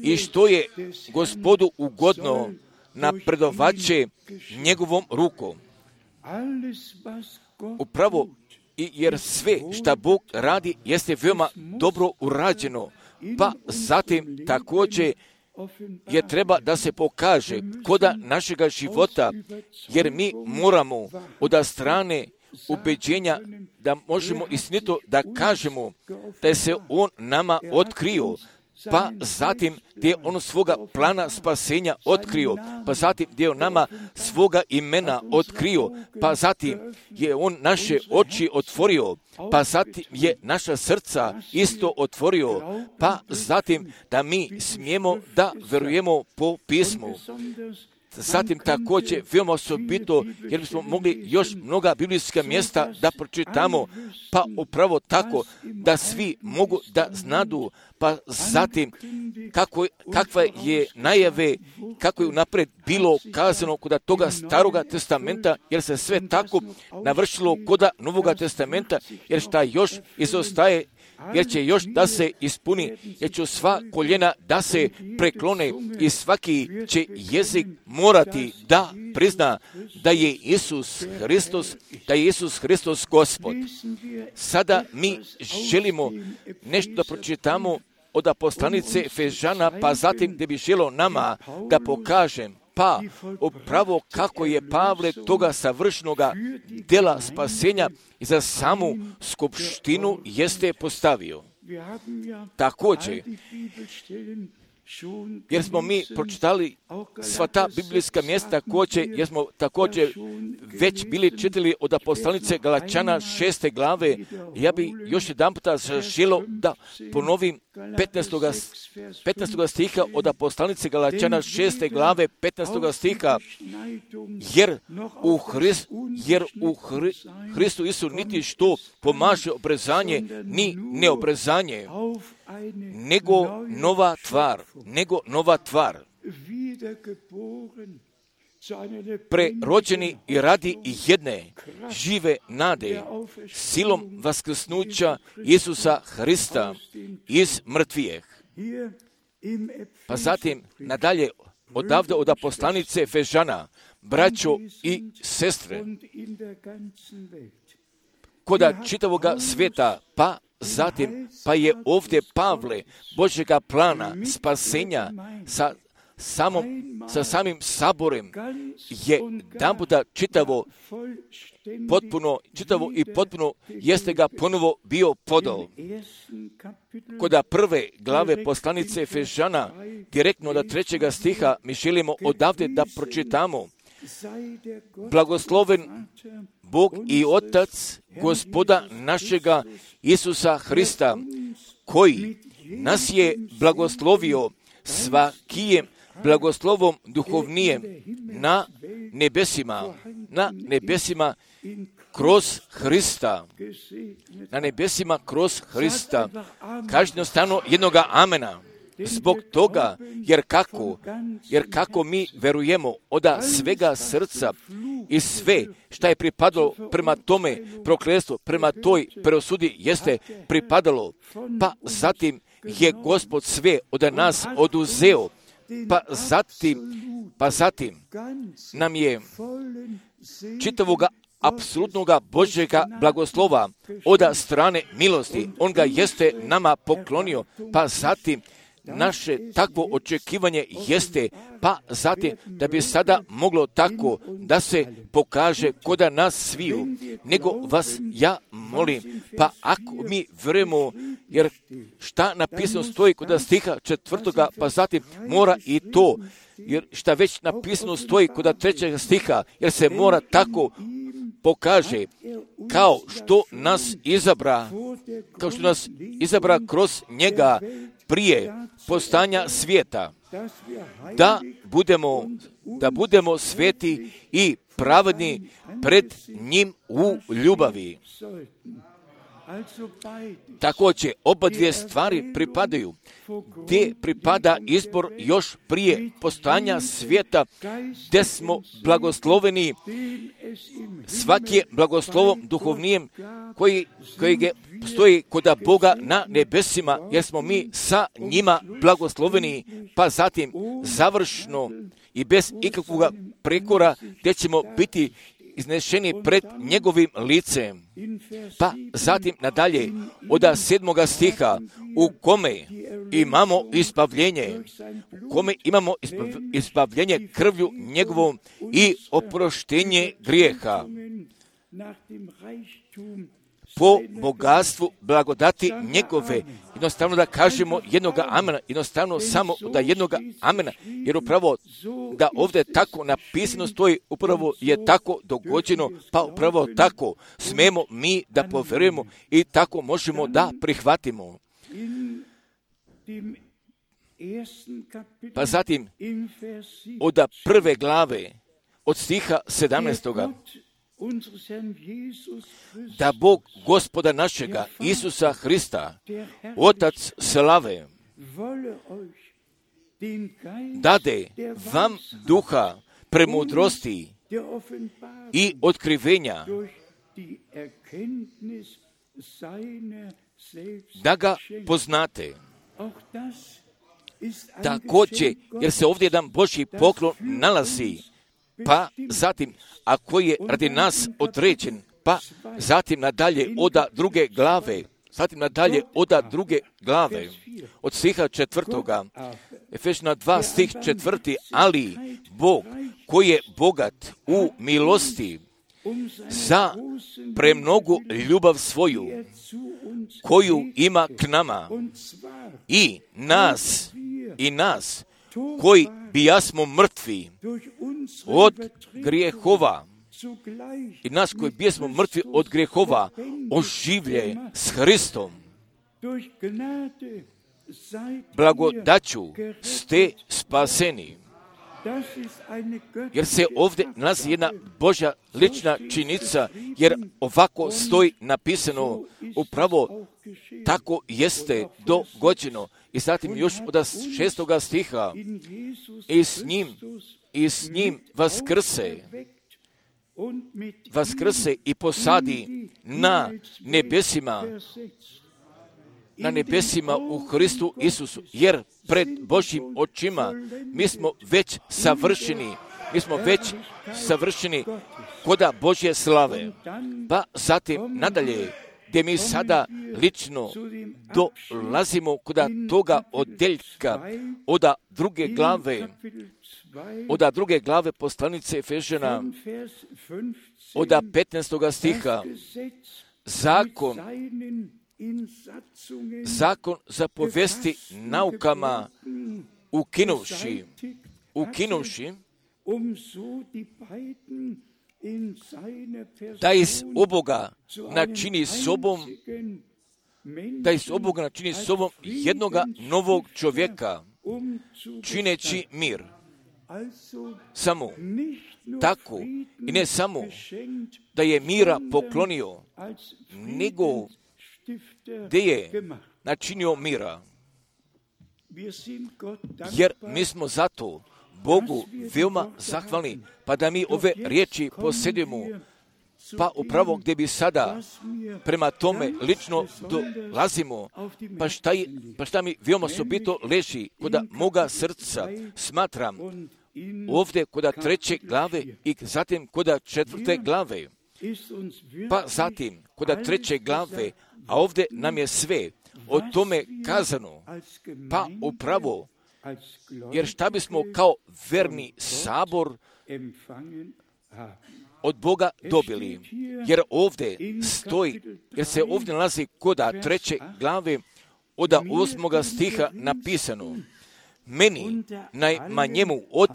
i što je Gospodu ugodno, napredovat će njegovom rukom. Upravo, i jer sve šta Bog radi jeste veoma dobro urađeno, pa zatim također je treba da se pokaže koda našega života, jer mi moramo od strane ubeđenja da možemo istinito da kažemo da je se On nama otkrio, pa zatim gdje je On svoga plana spasenja otkrio, pa zatim gdje je On nama svoga imena otkrio, pa zatim je On naše oči otvorio, pa zatim je naša srca isto otvorio, pa zatim da mi smijemo da verujemo po pismu. Zatim također veoma osobito, jer bismo mogli još mnoga biblijska mjesta da pročitamo, pa upravo tako da svi mogu da znadu, pa zatim kako, kakva je najave, kako je unaprijed bilo kazano kod toga staroga testamenta, jer se sve tako navršilo kod novoga testamenta, jer šta još izostaje, jer će još da se ispuni, jer će sva koljena da se preklone i svaki će jezik morati da prizna da je Isus Hristos, da je Isus Hristos Gospod. Sada mi želimo nešto da pročitamo od poslanice Efežana, pa zatim gdje bi želio nama da pokažem, pa upravo kako je Pavle toga savršenoga dela spasenja i za samu skupštinu jeste postavio. Također, jer smo mi pročitali sva ta biblijska mjesta također, jer smo također već bili čitali od poslanice Galačana šeste glave, ja bi još jedan puta želio da ponovim petnaestog stiha od poslanice Galačana šeste glave petnaestog stiha, jer u, Hrist, jer u Hri, Hristu Isu niti što pomaže obrezanje, ni neobrezanje, nego nova tvar, nego nova tvar. Prerođeni i radi jedne žive nade, silom vaskrsnuća Isusa Hrista iz mrtvijeh. Pa zatim nadalje odavde od poslanice Efežana, braćo i sestre, koda čitavoga svijeta, pa zatim, pa je ovdje Pavle Božjega plana spasenja sa, samom, sa samim saborem je damputa čitavo, potpuno, čitavo i potpuno jeste ga ponovo bio podao. Koda prve glave poslanice Efežana, direktno od trećega stiha, mi želimo odavde da pročitamo. Blagosloven Bog i Otac Gospoda našega Isusa Hrista, koji nas je blagoslovio svakijem blagoslovom duhovnijem na nebesima, na nebesima kroz Hrista, na nebesima kroz Hrista. Kažno stano jednoga amena. Zbog toga, jer kako, jer kako mi verujemo od svega srca i sve šta je pripadalo prema tome prokletstvu, prema toj preosudi jeste pripadalo, pa zatim je Gospod sve od nas oduzeo, pa zatim, pa zatim nam je čitavoga apsolutnoga Božjega blagoslova od strane milosti. On ga jeste nama poklonio, pa zatim naše takvo očekivanje jeste, pa zatim da bi sada moglo tako da se pokaže koda nas sviju, nego vas ja molim, pa ako mi verujemo, jer šta napisano stoji kod stiha četvrtoga, pa zatim mora i to, jer šta već napisano stoji kod trećeg stiha, jer se mora tako pokaže, kao što nas izabra, kao što nas izabra kroz njega prije postanja svijeta, da budemo, da budemo sveti i pravedni pred njim u ljubavi. Također, oba dvije stvari pripadaju. Gdje pripada izbor još prije postojanja svijeta, gdje smo blagosloveni, svaki je blagoslovom duhovnijem koji, koji stoji kod Boga na nebesima, jer smo mi sa njima blagosloveni, pa zatim završno i bez ikakvog prekora, gdje ćemo biti iznešeni pred njegovim licem. Pa zatim nadalje, od sedmoga stiha, u kome imamo ispavljenje, u kome imamo ispavljenje krvlju njegovom i oproštenje grijeha. Po bogatstvu blagodati njegove, jednostavno da kažemo jednoga amena, jednostavno samo da jednoga amena, jer upravo da ovdje tako napisano stoji, upravo je tako dogođeno, pa upravo tako smemo mi da povjerujemo i tako možemo da prihvatimo. Pa zatim, od prve glave, od stiha sedamnaestoga, da Bog Gospoda našega Isusa Hrista, Otac slave, dade vam duha premudrosti i otkrivenja, da ga poznate. Također, jer se ovdje jedan Božji poklon nalazi, pa zatim, a koji je radi nas određen, pa zatim nadalje oda druge glave, zatim nadalje oda druge glave, od stiha četvrtoga, Efežana dva stih četvrti, ali Bog koji je bogat u milosti za premnogu ljubav svoju, koju ima k nama i nas, i nas, koji bijasmo mrtvi od grijehova, i nas koji bijesmo mrtvi od grijehova, oživlje s Hristom. Blagodaću ste spaseni. Jer se ovdje nalazi jedna Božja lična činjenica, jer ovako stoji napisano, upravo tako jeste dogođeno. I zatim još od šestoga stiha, i s njim, i s njim vaskrse, vaskrse i posadi na nebesima, na nebesima u Hristu Isusu, jer pred Božjim očima mi smo već savršeni, mi smo već savršeni koda Božje slave. Pa zatim nadalje, gdje mi sada lično dolazimo koda toga odeljka, oda druge glave, oda druge glave poslanice Efežana, oda petnaestoga stiha, zakon, zakon zapovesti naukama ukinuvši, ukinuvši, da iz oboga načini sobom, da iz oboga načini sobom jednoga novog čovjeka, čineći mir. Samo tako, i ne samo da je mira poklonio, nego gdje je načinio mira. Jer mi smo zato Bogu veoma zahvalni, pa da mi ove riječi posjedimo, pa upravo gdje bi sada prema tome lično dolazimo, pa šta, je, pa šta mi veoma osobito leži koda moga srca, smatram ovdje koda treće glave i zatim koda četvrte glave, pa zatim koda treće glave, a ovdje nam je sve o tome kazano, pa upravo, jer šta bismo kao verni sabor od Boga dobili, jer ovdje stoji, jer se ovdje nalazi koda treće glave od osmoga stiha napisano, meni najmanjemu od,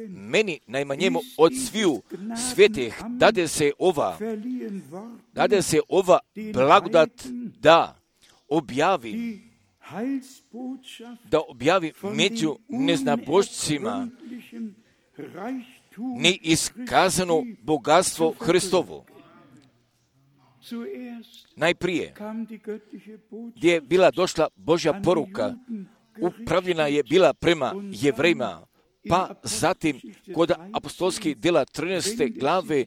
meni najmanjemu od sviju svetih dade se ova, dade se ova blagodat da objavi, da objavi među neznabošcima neiskazano bogatstvo Hristovo. najprije, gdje je bila došla Božja poruka, upravljena je bila prema Jevrejima, pa zatim kod apostolskih djela trinaeste glave,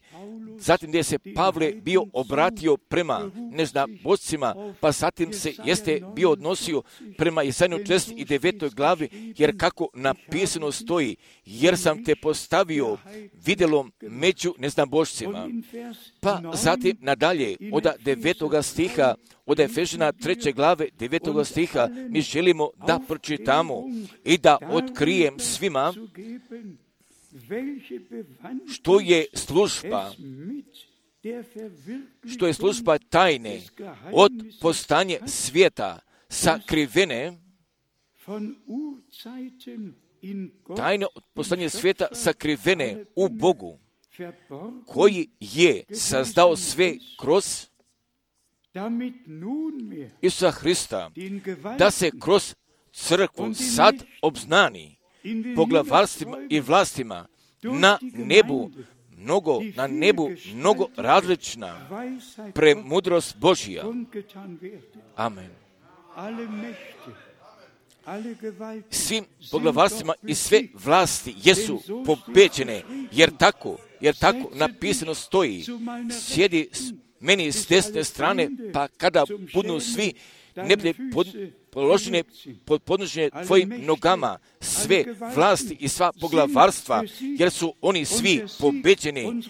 zatim gdje se Pavle bio obratio prema neznabošcima, pa zatim se jeste bio odnosio prema Jesaja četrdeset devetoj glavi, jer kako napisano stoji, jer sam te postavio vidjelom među neznabošcima. Pa zatim nadalje, od devetoga stiha, od Efežana treće glave, devetoga stiha, mi želimo da pročitamo i da otkrijem svima što je služba, što je služba tajne od postanje svijeta sakrivene, tajne od postanje svijeta sakrivene u Bogu, koji je sazdao sve kroz Isusa Hrista, da se kroz crkvu sad obznani poglavarstvima i vlastima na nebu, mnogo, na nebu mnogo različna premudrost Božja. Amen. Svim poglavarstvima i sve vlasti jesu pobeđene, jer tako, jer tako napisano stoji, sjedi meni s desne strane, pa kada budu svi neblje pod, položene pod podnošenje tvojim nogama, sve vlasti i sva poglavarstva, jer su oni svi pobeđeni,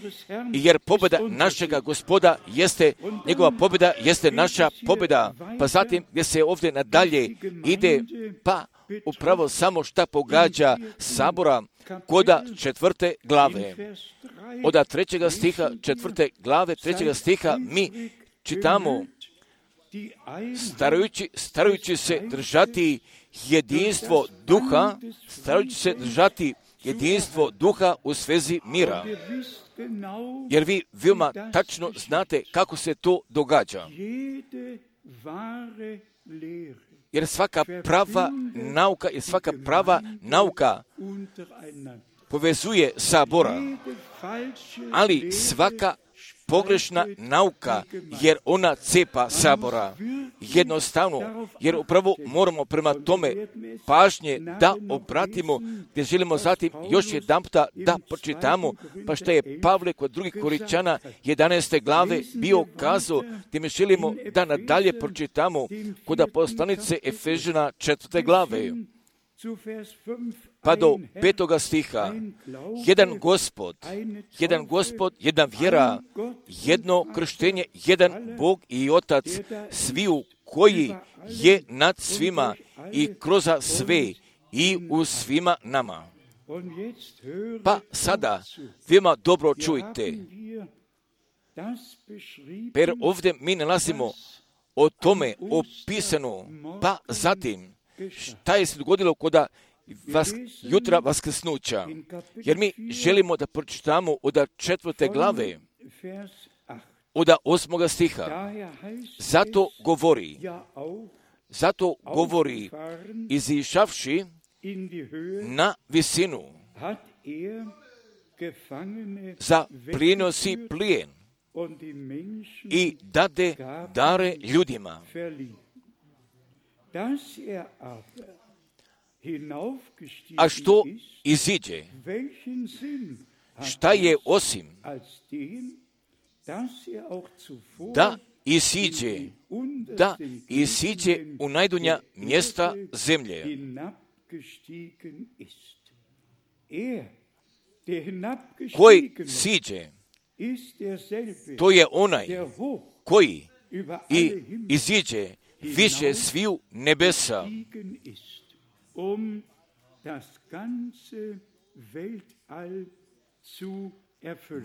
jer pobjeda našega Gospoda jeste, njegova pobjeda jeste naša pobjeda. Pa zatim gdje se ovdje nadalje ide, pa upravo samo šta pogađa sabora koda četvrte glave. Od trećega stiha, četvrte glave, trećega stiha, mi čitamo, starajući, starajući se držati jedinstvo duha, starajući se držati jedinstvo duha u svezi mira. Jer vi veoma tačno znate kako se to događa. Jer svaka prava nauka i svaka prava nauka povezuje sabora, ali svaka pogrešna nauka, jer ona cepa sabora. Jednostavno, jer upravo moramo prema tome pažnje da obratimo, gdje želimo zatim još jedan puta da pročitamo, pa što je Pavle kod drugih Korinčana jedanaeste glave bio kazao, gdje mi želimo da nadalje pročitamo kod poslanice Efežana četvrte glave. Pa do petoga stiha, jedan Gospod, jedan Gospod, jedna vjera, jedno krštenje, jedan Bog i Otac, sviju koji je nad svima i kroz sve i u svima nama. Pa sada, veoma dobro čujte, jer ovdje mi nalazimo o tome opisano, pa zatim, šta je se dogodilo kod vas, jutra vaskrsnuća, jer mi želimo da pročitamo od četvrte glave, od osmoga stiha. Zato govori, zato govori, izišavši na visinu, za prinosi plijen i dade dare ljudima. A što iziđe? Šta je osim da isiđe, da isiđe u najdunja mjesta zemlje? Koji siđe, to je onaj koji i iziđe više sviju nebesa,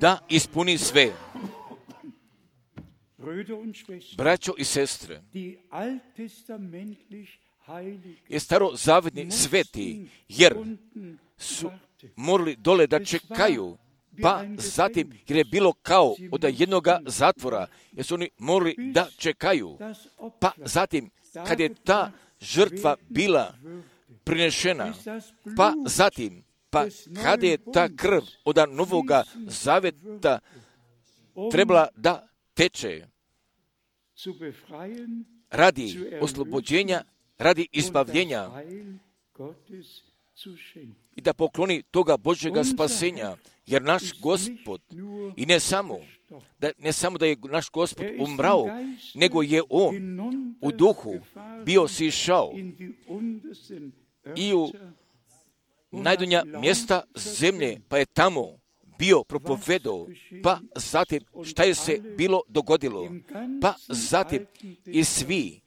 da ispuni sve. Braćo i sestre, je starozavetni sveti, jer su morali dole da čekaju, pa zatim, jer je bilo kao od jednoga zatvora, jer su oni morali da čekaju, pa zatim, kad je ta žrtva bila prinešena, pa zatim, pa kada je ta krv od novoga zaveta trebala da teče, radi oslobođenja, radi izbavljenja i da pokloni toga Božjega spasenja, jer naš Gospod, i ne samo, da, ne samo da je naš Gospod umrao, nego je On u duhu bio sišao i u najdonja mjesta zemlje, pa je tamo bio propovedao, pa zatim šta je se bilo dogodilo, pa zatim i svi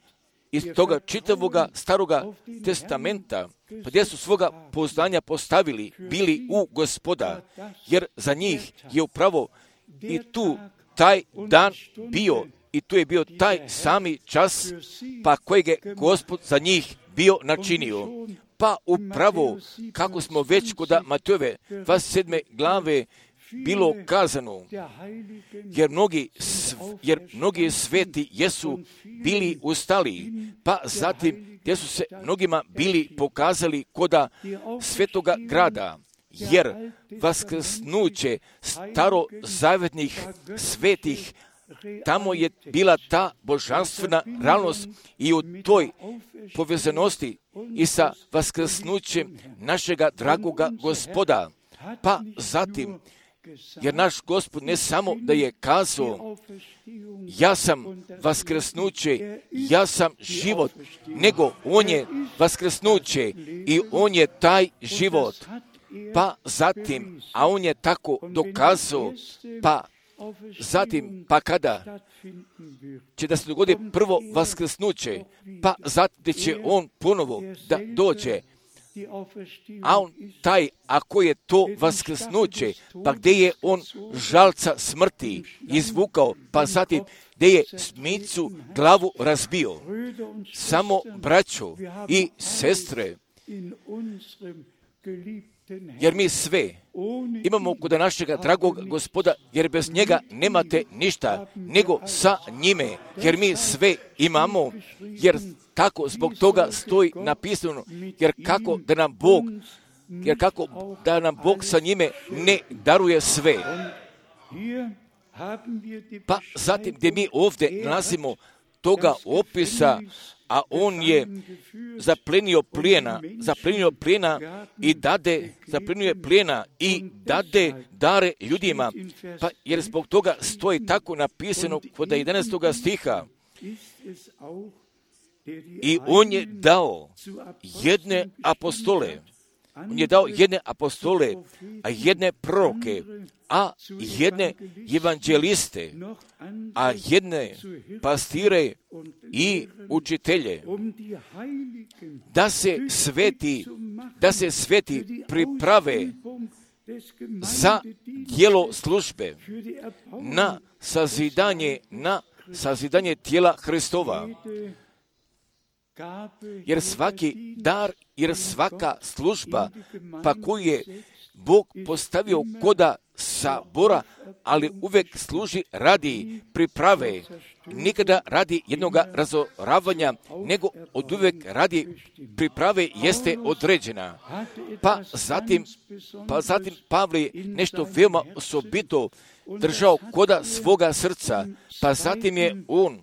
iz toga čitavoga staroga testamenta, pa gdje su svoga poznanja postavili, bili u Gospoda, jer za njih je upravo i tu taj dan bio, i tu je bio taj sami čas, pa kojeg je Gospod za njih bio načinio. Pa upravo, kako smo već kod Matejove dvadeset sedme glave bilo kazano, jer mnogi, jer mnogi sveti jesu bili ustali, pa zatim gdje su se mnogima bili pokazali koda svetoga grada, jer vaskrsnuće starozavetnih svetih, tamo je bila ta božanstvena realnost i u toj povezanosti i sa vaskrsnućem našega dragoga Gospoda. Pa zatim, jer naš Gospod ne samo da je kazao, ja sam vaskrsnuće, ja sam život, nego On je vaskrsnuće i On je taj život. Pa zatim, a On je tako dokazao, pa zatim, pa kada će da se dogodi prvo vaskrsnuće, pa zatim će On ponovo da dođe, a On taj, ako je to vaskrsnuće, pa gdje je On žalca smrti izvukao, pa zatim gdje je smicu glavu razbio. Samo braćo i sestre, jer mi sve imamo kod našega dragog Gospoda, jer bez njega nemate ništa, nego sa njime, jer mi sve imamo, jer tako zbog toga stoji napisano, jer kako da nam Bog, jer kako da nam Bog sa njime ne daruje sve. Pa zatim gdje mi ovdje nalazimo toga opisa, a On je zaplenio plijena, zaplenio plijena i dade, zaplenio plijena i dade dare ljudima, pa jer zbog toga stoji tako napisano kod jedanaestoga stiha. I On je dao jedne apostole, On je dao jedne apostole, a jedne proroke, a jedne evanđeliste, a jedne pastire i učitelje, da se sveti, da se sveti priprave za djelo službe, na sazidanje, na sazidanje tijela Hristova. Jer svaki dar, jer svaka služba, pa koju je Bog postavio koda sabora, ali uvijek služi radi priprave, nikada radi jednoga razoravanja, nego od uvijek radi priprave jeste određena. Pa zatim, pa zatim Pavle je nešto veoma osobito držao koda svoga srca, pa zatim je on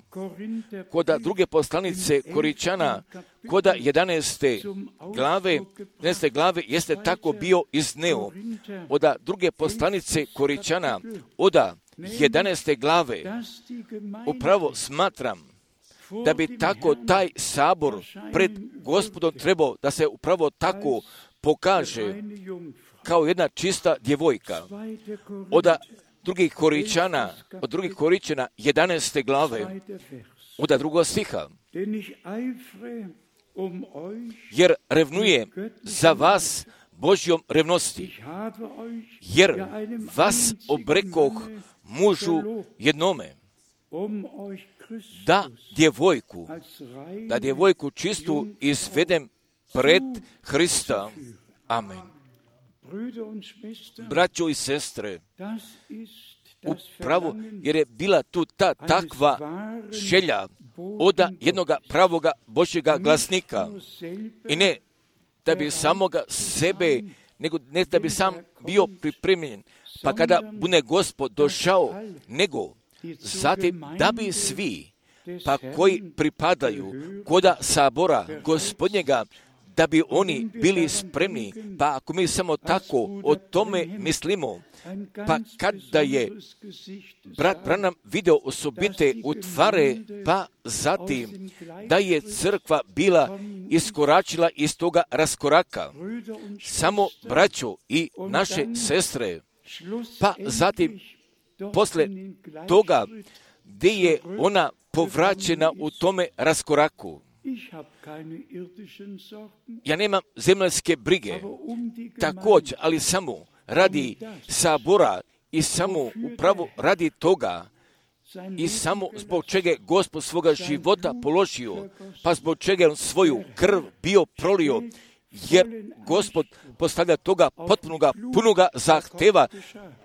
koda druge poslanice Koričana, koda jedanaeste glave, jedanaeste glave jeste tako bio izneo. Oda druge poslanice Koričana, oda jedanaeste glave, upravo smatram da bi tako taj sabor pred Gospodom trebao da se upravo tako pokaže kao jedna čista djevojka. Oda drugih Koričana, od drugih Koričana, jedanaeste glave, od drugog stiha. Jer revnuje za vas Božjom revnosti, jer vas obrekoh mužu jednome, da djevojku, da djevojku čistu izvedem pred Hrista. Amen. Braćo i sestre, upravo jer je bila tu ta takva želja od jednoga pravoga Božjega glasnika i ne da bi samoga sebe, nego ne da bi sam bio pripremljen, pa kada bude Gospod došao, nego zatim da bi svi pa koji pripadaju koda sabora Gospodnjega, da bi oni bili spremni. Pa ako mi samo tako o tome mislimo, pa kada je brat Branham video osobite utvare, pa zatim da je crkva bila iskoračila iz toga raskoraka, samo braćo i naše sestre, pa zatim posle toga gdje je ona povraćena u tome raskoraku. Ja nemam zemaljske brige, također, ali samo radi sabora i samo upravo radi toga i samo zbog čega je Gospod svoga života položio, pa zbog čega je on svoju krv bio prolio, jer Gospod postavlja toga potpunoga, punoga zahteva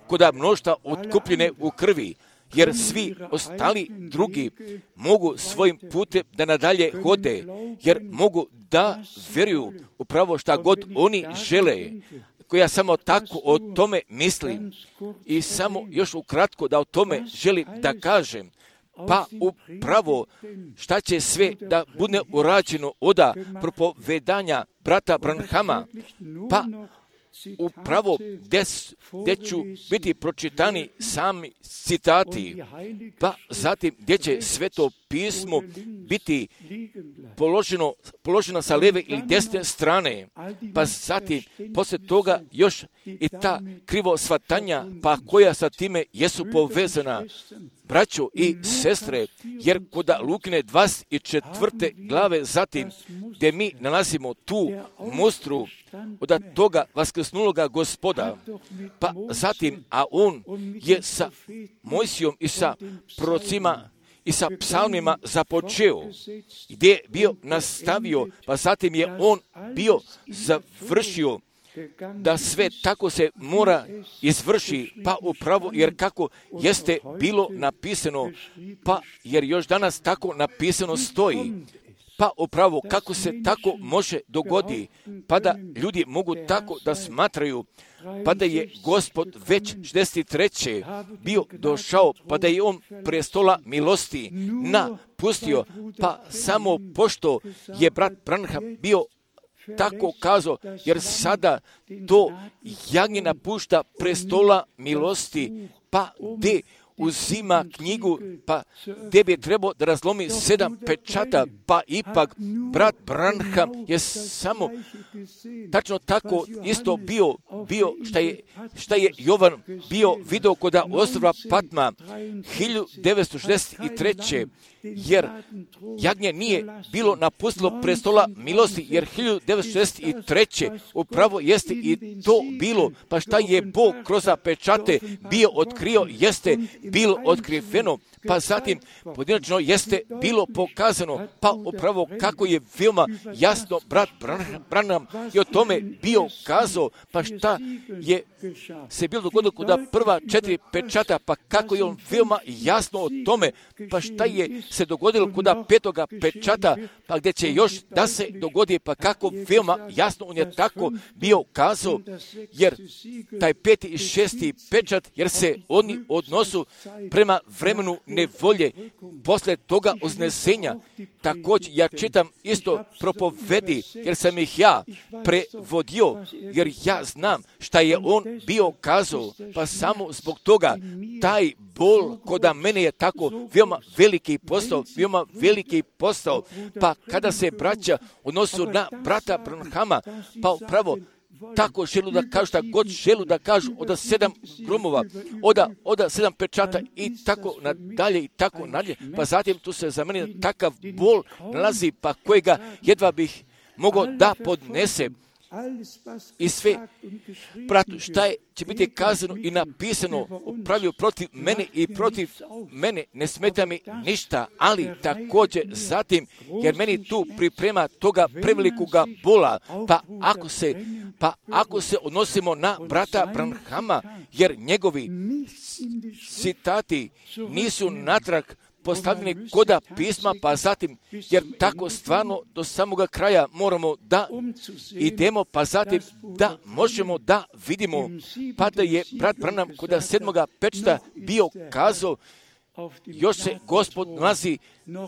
koda mnoštva otkupljene u krvi, jer svi ostali drugi mogu svojim putem da nadalje hode, jer mogu da vjeruju upravo šta god oni žele, koja samo tako o tome mislim. I samo još ukratko da o tome želim da kažem, pa upravo šta će sve da bude urađeno oda propovedanja brata Branhama, pa upravo gdje ću biti pročitani sami citati, pa zatim gdje će sveto pismo biti položeno, položeno sa lijeve ili desne strane, pa zatim poslije toga još i ta krivo shvatanja, pa koja sa time jesu povezana. Braćo i sestre, jer kod Lukine dvadeset četvrte glave zatim, gdje mi nalazimo tu mustru od toga vaskrsnuloga Gospoda, pa zatim, a on je sa Mojsijom i sa prorocima i sa psalmima započeo, gdje je bio nastavio, pa zatim je on bio završio, da sve tako se mora izvrši, pa upravo, jer kako jeste bilo napisano, pa jer još danas tako napisano stoji, pa upravo kako se tako može dogodi, pa da ljudi mogu tako da smatraju, pa da je Gospod već šezdeset treće bio došao, pa da je on prestola milosti napustio, pa samo pošto je brat Branham bio tako kazao, jer sada to jagnje napušta prestola milosti, pa gdje uzima knjigu, pa gdje bi trebao da razlomi sedam pečata, pa ipak brat Branham je samo tačno tako isto bio, bio šta je, šta je Jovan bio video kod ostrva Patma hiljadu devetsto šezdeset treće jer jagnje nije bilo napustilo prestola milosti, jer hiljadu devetsto šezdeset treće upravo jeste i to bilo, pa šta je Bog kroz pečate bio otkrio, jeste bilo otkriveno, pa zatim pojedinačno jeste bilo pokazano, pa upravo kako je veoma jasno brat Branham i o tome bio kazao, pa šta je se bilo dogodilo kod prva četiri pečata, pa kako je on veoma jasno o tome, pa šta je se dogodilo kod petoga pečata, pa gdje će još da se dogodi, pa kako veoma jasno on je tako bio kazao, jer taj peti i šesti pečat, jer se oni odnosu prema vremenu nevolje, posle toga uznesenja. Također ja čitam isto propovedi, jer sam ih ja prevodio, jer ja znam šta je on bio kazao, pa samo zbog toga taj bol koda mene je tako veoma veliki postao, veoma veliki postao, pa kada se braća odnosu na brata Branhama, pa upravo tako želu da kažu šta god želu da kažu od sedam gromova, od, od sedam pečata i tako nadalje i tako nadalje, pa zatim tu se za mene takav bol nalazi, pa kojega jedva bih mogao da podnese. I sve, bratu, šta je, će biti kazano i napisano upravljaju protiv mene i protiv mene, ne smeta mi ništa, ali također zatim, jer meni tu priprema toga prevelikoga bola, pa ako se, pa ako se odnosimo na brata Branhama, jer njegovi citati nisu natrag postavljeni koda pisma, pa zatim, jer tako stvarno do samoga kraja moramo da idemo, pa zatim da možemo da vidimo, pa da je brat Branham koda sedmoga pečata bio kazao, još se Gospod nalazi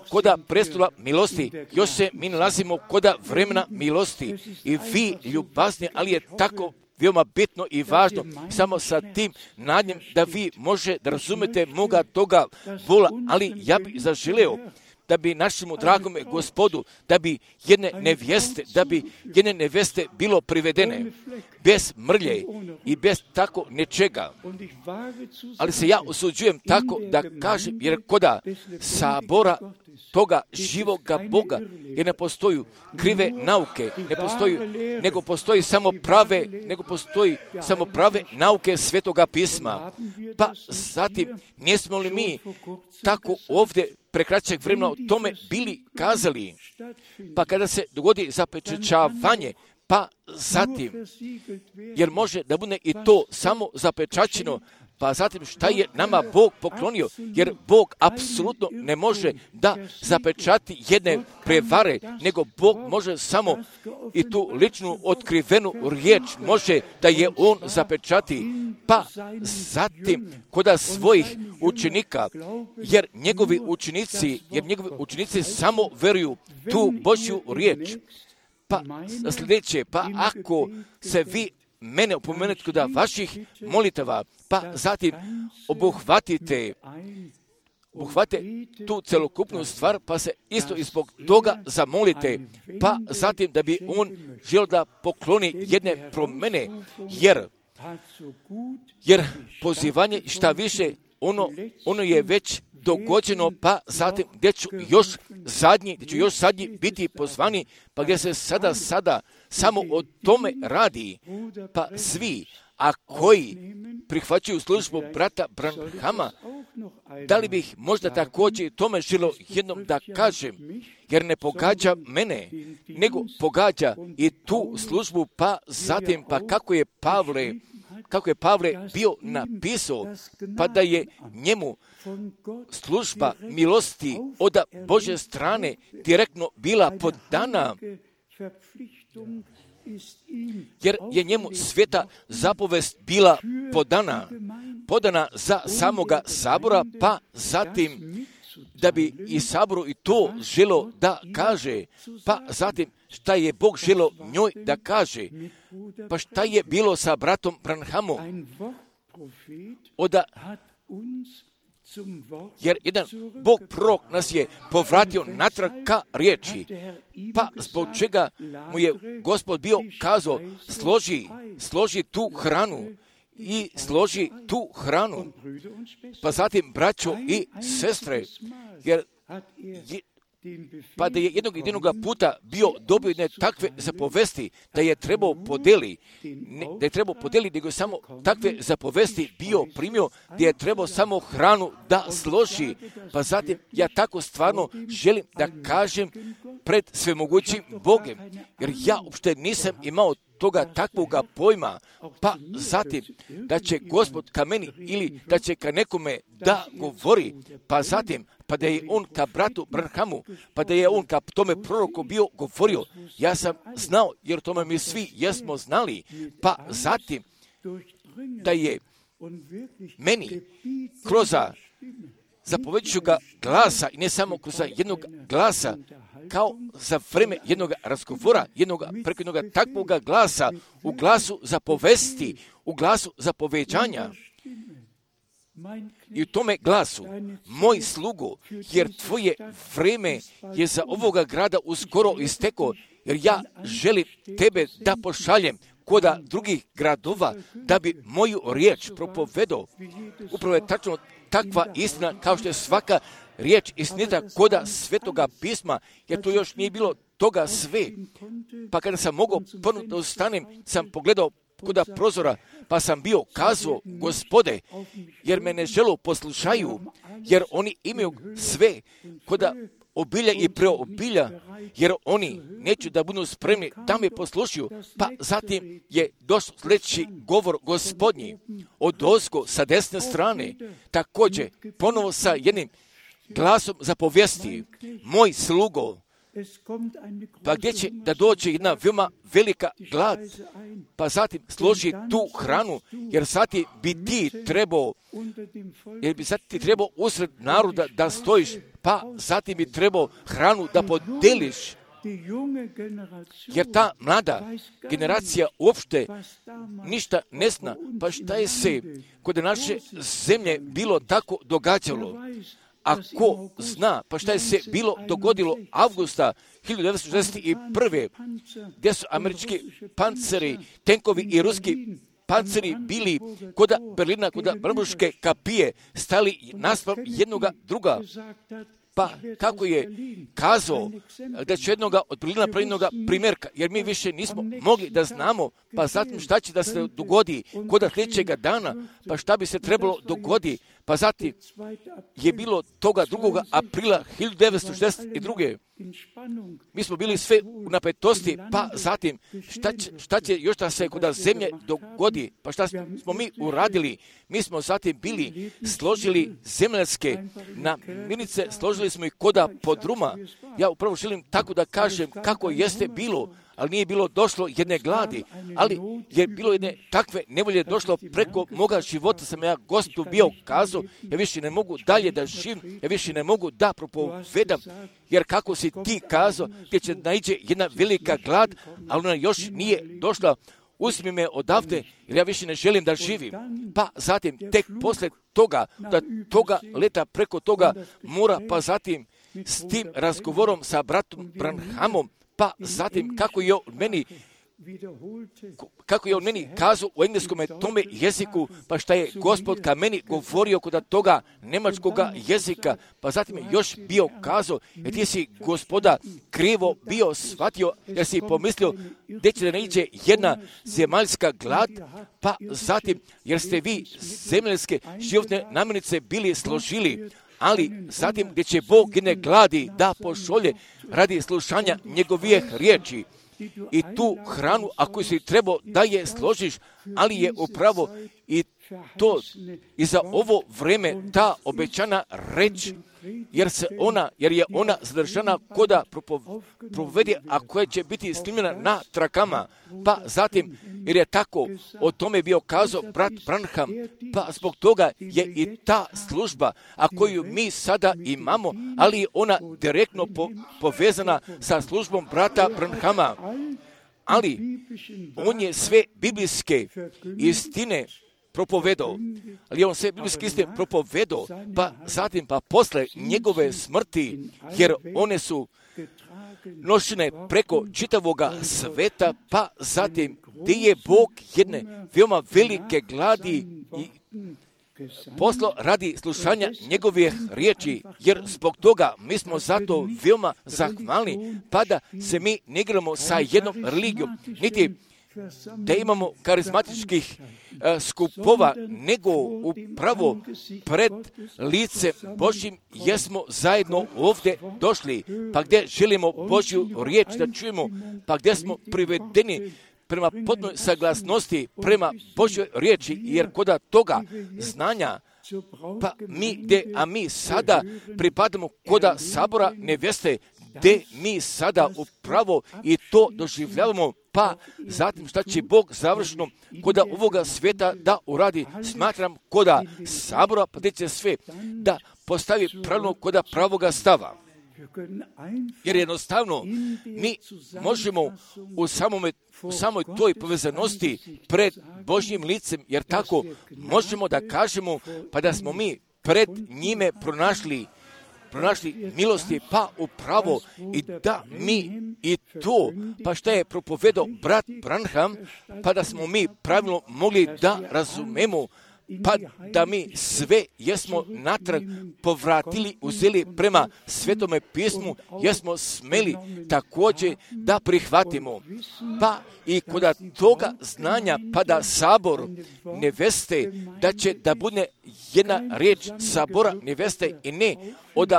koda prestola milosti, još se mi nalazimo koda vremena milosti i vi ljubazni, ali je tako veoma bitno i važno, samo sa tim nadnjem da vi može da razumete moga toga bola, ali ja bih zaželeo da bi našemu dragome Gospodu, da bi jedne nevjeste, da bi jedne nevjeste bilo privedene bez mrlje i bez tako nečega. Ali se ja usuđujem tako da kažem, jer koda sabora toga živoga Boga, jer ne postoju krive nauke, ne postoji, nego postoji samo prave, nego postoji samo prave nauke Svetoga pisma. Pa zatim, nismo li mi tako ovdje prekraćeg vremena o tome bili kazali? Pa kada se dogodi zapečaćavanje, pa zatim, jer može da bude i to samo zapečaćeno, pa zatim šta je nama Bog poklonio, jer Bog apsolutno ne može da zapečati jedne prevare, nego Bog može samo i tu ličnu otkrivenu riječ može da je On zapečati, pa zatim koda svojih učenika, jer njegovi učenici, jer njegovi učenici samo veruju tu Božju riječ. Pa sljedeće, pa ako se vi mene opomenete kod vaših molitava, pa zatim obuhvatite, obuhvatite tu celokupnu stvar, pa se isto i zbog toga zamolite, pa zatim da bi On želio da pokloni jedne promjene, jer, jer pozivanje šta više, ono, ono je već dogođeno, pa zatim gdje ću još zadnji, gdje ću još zadnji biti pozvani, pa gdje se sada, sada samo o tome radi, pa svi, a koji prihvaćaju službu brata Branhama, da li bih možda također tome želio jednom da kažem, jer ne pogađa mene, nego pogađa i tu službu, pa zatim, pa kako je Pavle, kako je Pavle bio napisao, pa da je njemu služba milosti od Božje strane direktno bila podana, jer je njemu sveta zapovest bila podana, podana za samoga sabora, pa zatim da bi i saboru i to želo da kaže, pa zatim šta je Bog želo njoj da kaže, pa šta je bilo sa bratom Branhamom, oda, jer jedan Bog prorok nas je povratio natrag ka riječi, pa zbog čega mu je Gospod bio kazao, složi, složi tu hranu i složi tu hranu, pa zatim braćo i sestre, jer je, pa da je jednog jedinog puta bio dobio jedne takve zapovesti, da je trebao podeli, ne, da je trebao podeli, nego samo takve zapovesti bio primio, da je trebao samo hranu da složi. Pa zatim ja tako stvarno želim da kažem pred svemogućim Bogem, jer ja uopšte nisam imao toga takvoga pojma, pa zatim da će Gospod ka meni ili da će ka nekome da govori, pa zatim pa da je on ka bratu Branhamu, pa da je on ka tome proroku bio govorio, ja sam znao, jer tome mi svi jesmo znali, pa zatim da je meni kroz zapoveđujućega glasa i ne samo kroz jednog glasa, kao za vreme jednog razgovora, jednog, preko jednog takvog glasa, u glasu zapovesti, u glasu zapoveđanja. I u tome glasu, moj slugo, jer tvoje vreme je za ovoga grada uskoro isteko, jer ja želim tebe da pošaljem koda drugih gradova, da bi moju riječ propovedao. Upravo je tačno takva istina, kao što je svaka riječ istinita koda Svetoga pisma, jer to još nije bilo toga sve. Pa kada sam mogao ponovno da ustanem, sam pogledao koda prozora, pa sam bio kazao, Gospode, jer me ne želo poslušaju, jer oni imaju sve koda obilja i preobilja, jer oni neću da budu spremni da me poslušaju. Pa zatim je došao sljedeći govor Gospodnji od ozgo sa desne strane, također ponovo sa jednim glasom zapovijesti, moj slugo, pa gdje će da dođe jedna veoma velika glad, pa zatim složi tu hranu, jer zatim bi ti trebao, jer bi zatim ti trebao usred naroda da stojiš, pa zatim bi trebao hranu da podeliš, jer ta mlada generacija uopšte ništa ne zna, pa šta je se kod naše zemlje bilo tako događalo. Ako zna, pa šta je se bilo dogodilo avgusta hiljadu devetsto šezdeset prve. gdje su američki panceri, tenkovi i ruski panceri bili kod Berlina, kod Brandenburške kapije, stali naspram jednoga druga. Pa kako je kazao da će jednoga od Berlina pravilnoga primjerka, jer mi više nismo mogli da znamo, pa zatim šta će da se dogodi kod sljedećega dana, pa šta bi se trebalo dogodi, pa zatim je bilo toga drugog aprila hiljadu devetsto šezdeset druge. Mi smo bili sve u napetosti, pa zatim šta će, šta će još da se kod zemlje dogodi, pa šta smo mi uradili? Mi smo zatim bili, složili zemljanske namirnice, složili smo ih koda podruma. Ja upravo želim tako da kažem kako jeste bilo, ali nije bilo došlo jedne gladi, ali je bilo jedne takve nevolje došlo preko moga života, sam ja Gospodu bio kazao, ja više ne mogu dalje da živim, ja više ne mogu da propovedam, jer kako si ti kazao, gdje će naiđe jedna velika glad, ali ona još nije došla, uzmi me odavde, jer ja više ne želim da živim. Pa zatim, tek posle toga, da toga leta preko toga mora, pa zatim s tim razgovorom sa bratom Branhamom, pa zatim kako je on meni kako je on meni kazao u engleskom tome jeziku, pa šta je Gospod ka meni govorio kod toga nemačkoga jezika, pa zatim je još bio kazao, jer ti si Gospoda krivo bio shvatio, jer si pomislio gdje će da ne iđe jedna zemaljska glad, pa zatim jer ste vi zemljske životne namirnice bili složili, ali zatim gdje će Bog jedne gladi da pošolje radi slušanja njegovih riječi. I tu hranu, ako si trebao da je složiš, ali je upravo i to i za ovo vreme ta obećana reč, jer se ona, jer je ona zadržana koda provede, a koja će biti snimljena na trakama, pa zatim, jer je tako o tome bio kazao brat Branham, pa zbog toga je i ta služba, a koju mi sada imamo, ali je ona direktno po, povezana sa službom brata Branhama. Ali on je sve biblijske istine propovedao, ali on sve biblijske istine propovedao, pa zatim pa posle njegove smrti, jer one su nošene preko čitavoga sveta, pa zatim gdje je Bog jedne veoma velike gladi i poslo radi slušanja njegovih riječi, jer zbog toga mi smo zato veoma zahvalni, pa da se mi ne igramo sa jednom religijom, niti da imamo karizmatičkih uh, skupova, nego upravo pred lice Božjim jesmo zajedno ovdje došli, pa gdje želimo Božju riječ da čujemo, pa gdje smo privedeni prema potpunoj saglasnosti, prema Božjoj riječi, jer kod toga znanja, pa mi gdje, a mi sada pripadamo kod sabora neveste, gdje mi sada upravo i to doživljavamo, pa zatim šta će Bog završno kod ovoga svijeta da uradi, smatram kod sabora, pa gdje će sve da postavi pravilno kod pravoga stava. Jer jednostavno mi možemo u samome u samoj toj povezanosti pred Božjim licem, jer tako možemo da kažemo pa da smo mi pred njime pronašli pronašli milosti, pa upravo i da mi i to, pa šta je propovedao brat Branham, pa da smo mi pravilno mogli da razumemo, pa da mi sve jesmo natrag povratili, uzeli prema Svetome pismu, jesmo smeli također da prihvatimo. Pa i kod toga znanja, pa da sabor neveste, da će da bude jedna riječ sabora neveste i ne od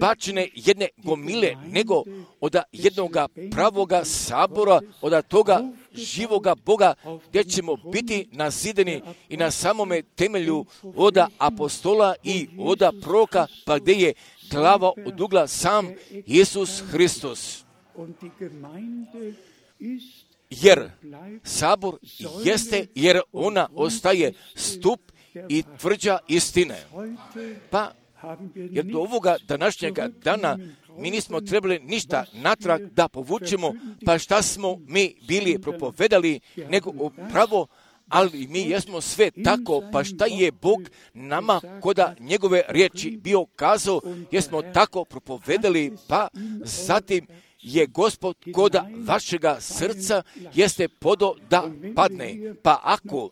bačene jedne gomile, nego od jednoga pravoga sabora, od toga živoga Boga, gdje ćemo biti nazideni i na samome temelju od apostola i od proroka, pa gdje je glava od ugla sam Isus Hristos. Jer sabor jeste, jer ona ostaje stup i tvrđa istine. Pa, jer do ovoga današnjega dana mi nismo trebali ništa natrag da povučemo, pa šta smo mi bili propovedali, nego upravo, ali mi jesmo sve tako, pa šta je Bog nama koda njegove riječi bio kazao, jesmo tako propovedali, pa zatim je Gospod koda vašega srca jeste podo da padne. Pa ako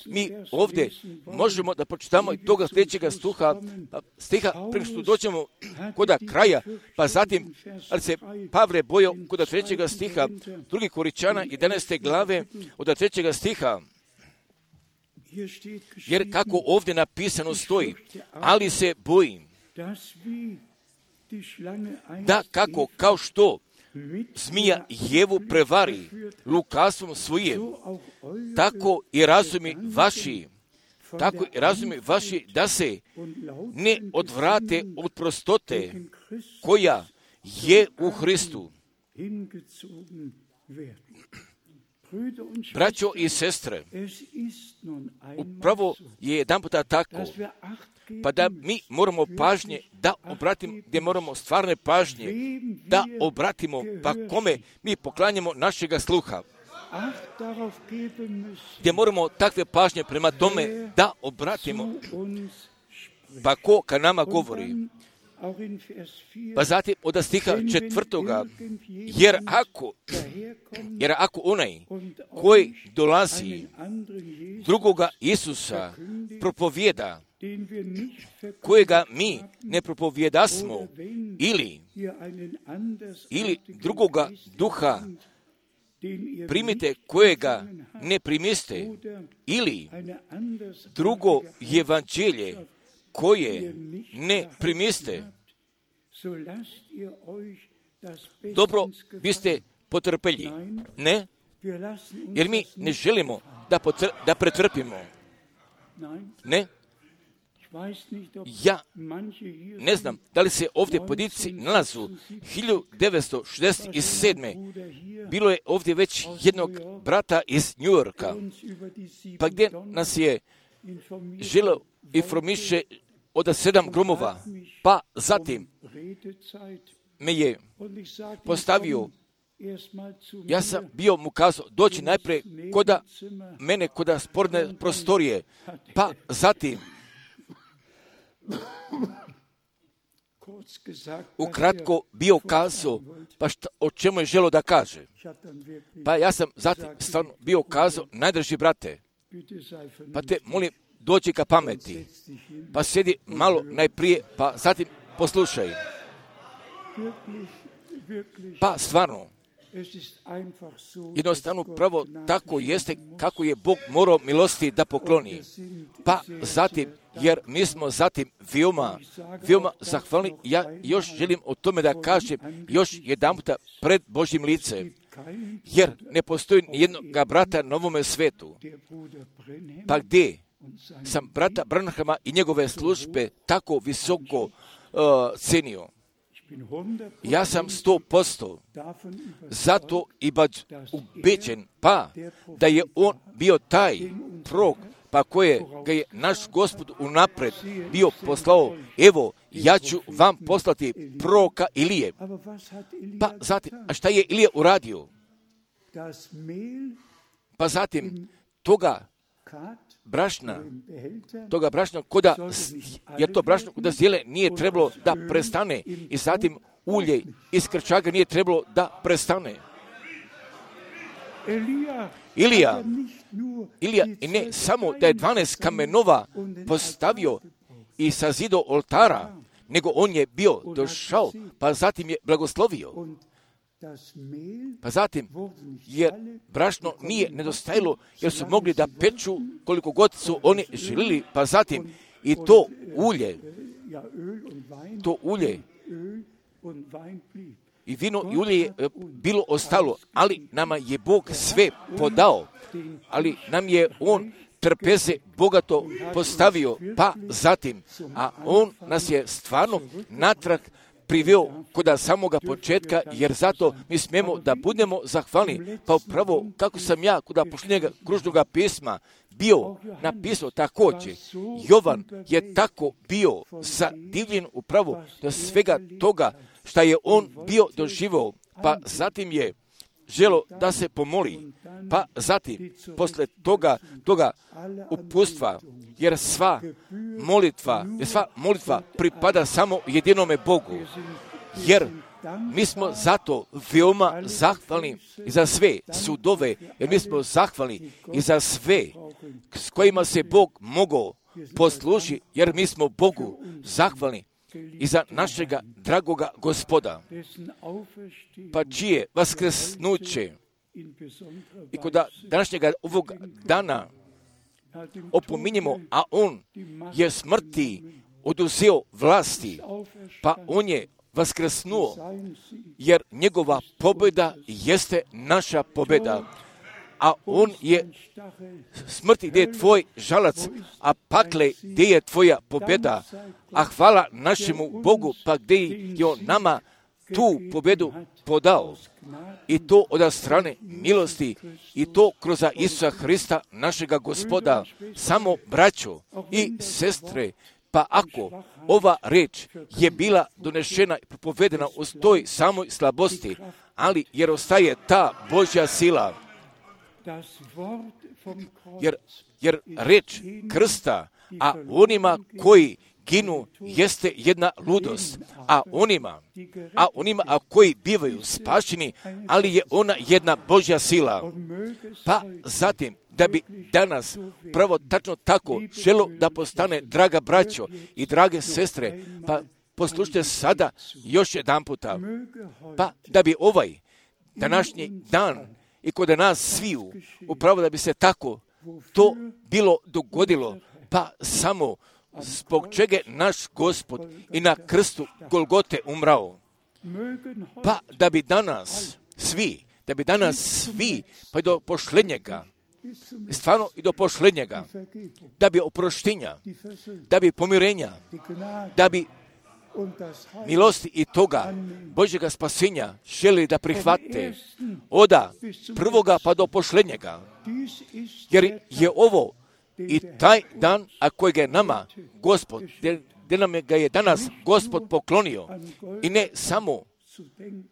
mi ovdje možemo da pročitamo i toga sljedećega stuha, stiha, prije što dođemo koda kraja, pa zatim, ali se Pavle bojao koda trećega stiha, drugi Koričana, jedanaeste glave, od trećega stiha, jer kako ovdje napisano stoji, ali se bojim da kako, kao što zmija Jevu prevari lukavstvom svojim, tako i razumi vaši, tako i razumi vaši da se ne odvrate od prostote koja je u Hristu. Braćo i sestre, upravo je jedan puta tako, pa da mi moramo pažnje da obratimo, gdje moramo stvarne pažnje da obratimo, pa kome mi poklanjamo našega sluha. Gdje moramo takve pažnje prema tome da obratimo, pa ko ka nama govori. Pa zatim od stiha četvrtoga, jer ako, jer ako onaj koji dolazi drugoga Isusa propovjeda, kojega mi ne propovjedasmo, ili, ili drugoga duha primite kojega ne primiste, ili drugo evanđelje koje ne primiste, dobro, vi ste potrpelji. Ne, jer mi ne želimo da, potr- da pretrpimo. Ne, ja ne znam da li se ovdje pojedinci nalazu. hiljadu devetsto šezdeset sedme bilo je ovdje već jednog brata iz New Yorka, pa gdje nas je želeo informiše od sedam gromova, pa zatim me je postavio, ja sam bio mu kazao doći najprije koda mene, koda sporne prostorije, pa zatim ukratko bio kazao, pa šta, o čemu je želio da kaže. Pa ja sam zatim stvarno bio kazao, najdraži brate, pa te molim, dođi ka pameti, pa sjedi malo najprije, pa zatim poslušaj. Pa stvarno, jednostavno pravo tako jeste kako je Bog morao milosti da pokloni. Pa zatim, jer mi smo zatim veoma, veoma zahvalni, ja još želim o tome da kažem još jedan puta pred Božjim licem, jer ne postoji nijednog brata na ovome svetu. Pa gdje sam brata Branhama i njegove službe tako visoko uh, cenio. Ja sam sto posto zato i baš ubeđen, pa da je on bio taj prorok, pa koje ga je naš Gospod unapred bio poslao, evo, ja ću vam poslati proroka Ilije. Pa zatim, a šta je Ilija uradio? Pa zatim, toga brašna, toga brašna, koda, jer to brašno koda zdjele nije trebalo da prestane i zatim ulje iz krčaga nije trebalo da prestane. Ilija, Ilija, i ne samo da je dvanaest kamenova postavio i sazido oltara, nego on je bio došao, pa zatim je blagoslovio. Pa zatim, jer brašno nije nedostajalo, jer su mogli da peču koliko god su oni želili, pa zatim i to ulje, to ulje i vino i ulje je bilo ostalo, ali nama je Bog sve podao, ali nam je On trpeze bogato postavio, pa zatim, a on nas je stvarno natrag priveo kod samoga početka, jer zato mi smijemo da budemo zahvalni. Pa upravo kako sam ja kod posljednjega kružnoga pisma bio napisao također, Jovan je tako bio zadivljen upravo do svega toga što je on bio doživio, pa zatim je želo da se pomoli, pa zatim posle toga, toga upustva, jer sva molitva, jer sva molitva pripada samo jedinome Bogu, jer mi smo zato veoma zahvalni i za sve sudove, jer mi smo zahvalni i za sve s kojima se Bog mogao poslužiti, jer mi smo Bogu zahvalni i za našega dragoga Gospoda, pa čije vaskrsnuće i kod današnjega ovog dana opominjemo, a on je smrti oduzeo vlasti, pa on je vaskrsnuo, jer njegova pobjeda jeste naša pobjeda. A on je smrti gdje je tvoj žalac, a pakle gdje je tvoja pobjeda. A hvala našemu Bogu, pa gdje je on nama tu pobjedu podao. I to od strane milosti, i to kroz Isusa Hrista, našega Gospoda. Samo braćo i sestre, pa ako ova reč je bila donešena i propovedena u toj samoj slabosti, ali jer ostaje ta Božja sila, Jer, jer reč krsta, a onima koji ginu jeste jedna ludost, a onima, a onima a koji bivaju spašeni, ali je ona jedna Božja sila. Pa zatim, da bi danas pravo tačno tako želo da postane, draga braćo i drage sestre, pa poslušajte sada još jedan puta, pa da bi ovaj današnji dan i kod nas sviju, upravo da bi se tako to bilo dogodilo, pa samo zbog čega naš Gospod i na krstu Golgote umrao. Pa da bi danas svi, da bi danas svi, pa i do pošlednjega, stvarno i do pošlednjega, da bi oproštenja, da bi pomirenja, da bi milosti i toga Božjega spasenja želi da prihvate oda prvoga pa do pošlednjega. Jer je ovo i taj dan, a kojega je nama Gospod, gdje nam ga je danas Gospod poklonio. I ne samo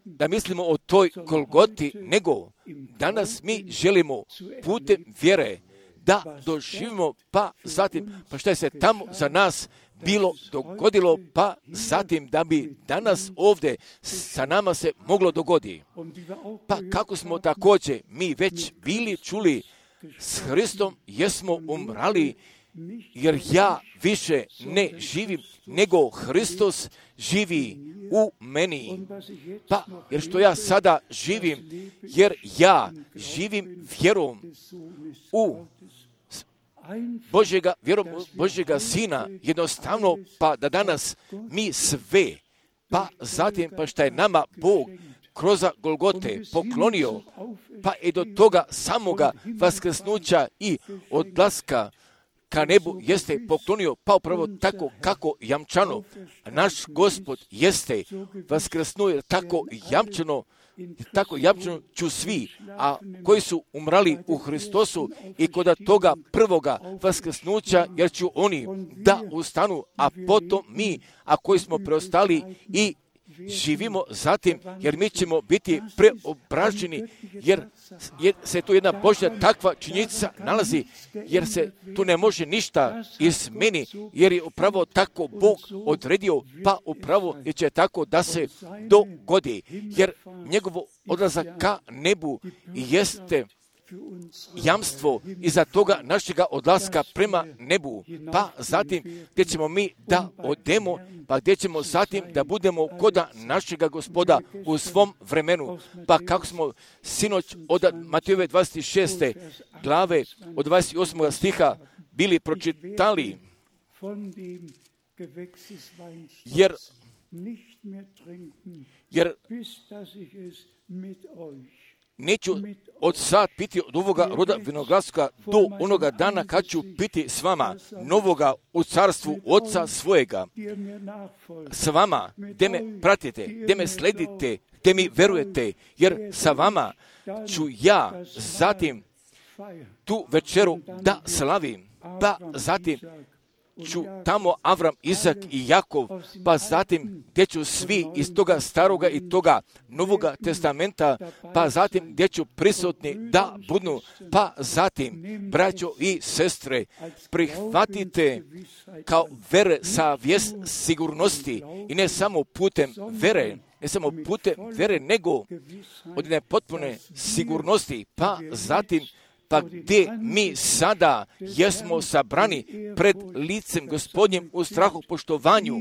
da mislimo o toj Golgoti, nego danas mi želimo putem vjere da doživimo, pa zatim, pa što je se tamo za nas bilo dogodilo, pa zatim da bi danas ovdje sa nama se moglo dogodi. Pa kako smo također mi već bili čuli, s Hristom jesmo umrali, jer ja više ne živim, nego Hristos živi u meni. Pa, jer što ja sada živim, jer ja živim vjerom u Božjega, vjerom Božjega Sina, jednostavno, pa da danas mi sve, pa zatim, pa šta je nama Bog kroz Golgote poklonio, pa i do toga samoga vaskrsnuća i odlaska ka nebu jeste poklonio, pa upravo tako kako jamčano naš Gospod jeste vaskrsnuo tako jamčano, tako jamčano ću svi, a koji su umrali u Hristosu i kod toga prvoga vaskrsnuća, jer ću oni da ustanu, a potom mi, a koji smo preostali i živimo zatim, jer mi ćemo biti preobraženi, jer se tu jedna Božja takva činjenica nalazi, jer se tu ne može ništa izmeni, jer je upravo tako Bog odredio, pa upravo je će tako da se dogodi, jer njegovo odlazak ka nebu jeste jamstvo iza toga našega odlaska prema nebu, pa zatim gdje ćemo mi da odemo, pa gdje ćemo zatim da budemo kod našega Gospoda u svom vremenu. Pa kako smo sinoć od Matejove dvadeset šeste glave od dvadeset osmog stiha bili pročitali, jer jer neću od sad piti od ovoga roda vinogradskoga do onoga dana kad ću piti s vama novoga u carstvu Oca svojega. S vama, gdje me pratite, gdje me sledite, gdje mi verujete, jer sa vama ću ja zatim tu večeru da slavim, pa zatim ću tamo Avram, Izak i Jakov, pa zatim gdje ću svi iz toga staroga i toga novoga testamenta, pa zatim gdje ću prisutni da budu, pa zatim, braćo i sestre, prihvatite kao vere sa vijest sigurnosti i ne samo putem vere, ne samo putem vere, nego od jedne potpune sigurnosti, pa zatim pa gdje mi sada jesmo sabrani pred licem Gospodnjim u strahu poštovanju,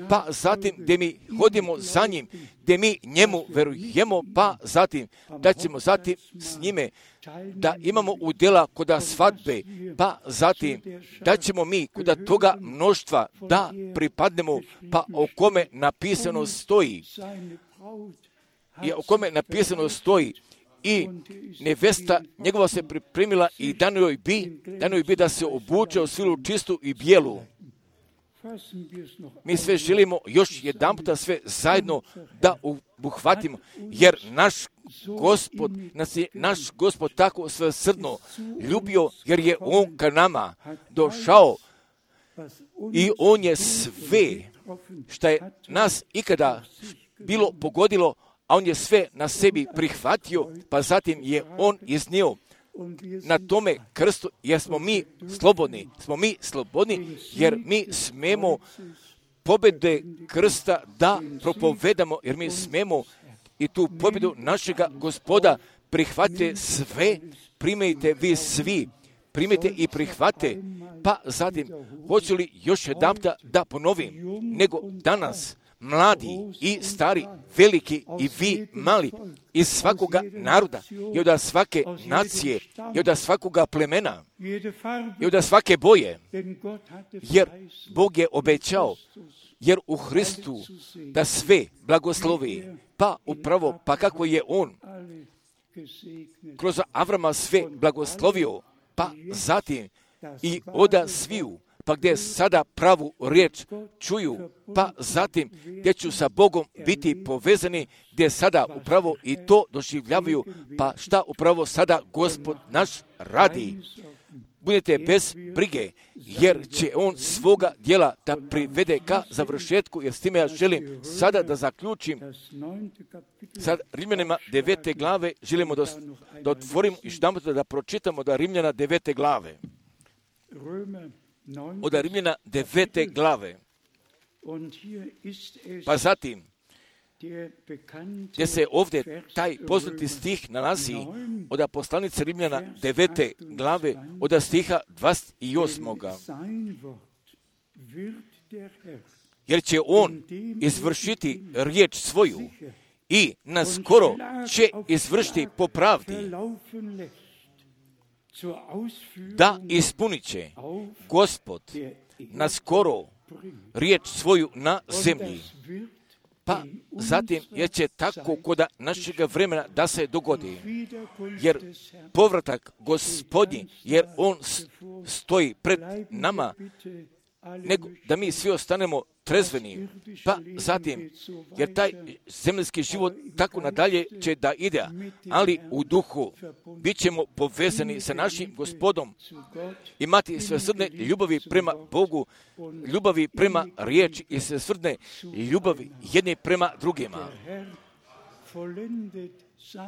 pa zatim gdje mi hodimo za njim, gdje mi njemu verujemo, pa zatim da ćemo zatim s njime da imamo udjela koda svadbe, pa zatim da ćemo mi koda toga mnoštva da pripadnemo, pa o kome napisano stoji, i o kome napisano stoji, i nevesta njegova se pripremila i dano joj bi, dano joj bi da se obuče u svilu čistu i bijelu. Mi sve želimo još jedan puta sve zajedno da obuhvatimo, jer naš Gospod, nas je naš Gospod tako svesrdno ljubio, jer je On ka nama došao i On je sve što je nas ikada bilo pogodilo, a On je sve na sebi prihvatio, pa zatim je On iznio na tome krstu, jer smo mi slobodni, smo mi slobodni, jer mi smemo pobjede krsta da propovedamo, jer mi smemo i tu pobjedu našega Gospoda prihvatite sve, primajte vi svi, primajte i prihvate, pa zatim, hoću li još jedan da ponovim, nego danas, mladi i stari, veliki i vi mali, iz svakoga naroda, i od svake nacije, i od svakoga plemena, i od svake boje, jer Bog je obećao, jer u Hristu da sve blagoslovi, pa upravo, pa kako je On kroz Avrama sve blagoslovio, pa zatim i oda sviju, pa gdje sada pravu riječ čuju, pa zatim gdje ću sa Bogom biti povezani, gdje sada upravo i to doživljavaju, pa šta upravo sada Gospod naš radi. Budete bez brige, jer će On svoga djela da privede ka završetku, jer s time ja želim sada da zaključim. Sad Rimljanima devete glave želimo da, da otvorimo i što da pročitamo da Rimljana devete glave. Od Rimljana devete glave. Pa zatim, gdje se ovdje taj poznati stih nalazi od poslanice Rimljana devete glave, od stiha dvadeset osam. Jer će On izvršiti riječ svoju i naskoro će izvršiti po pravdi, da ispunit će Gospod naskoro riječ svoju na zemlji. Pa zatim je će tako koda našega vremena da se dogodi, jer povratak Gospodnji, jer On stoji pred nama, nego da mi svi ostanemo trezveni, pa zatim, jer taj zemljski život tako nadalje će da ide, ali u duhu bit ćemo povezani sa našim Gospodom, imati svesrdne ljubavi prema Bogu, ljubavi prema riječi i svesrdne ljubavi jedni prema drugima.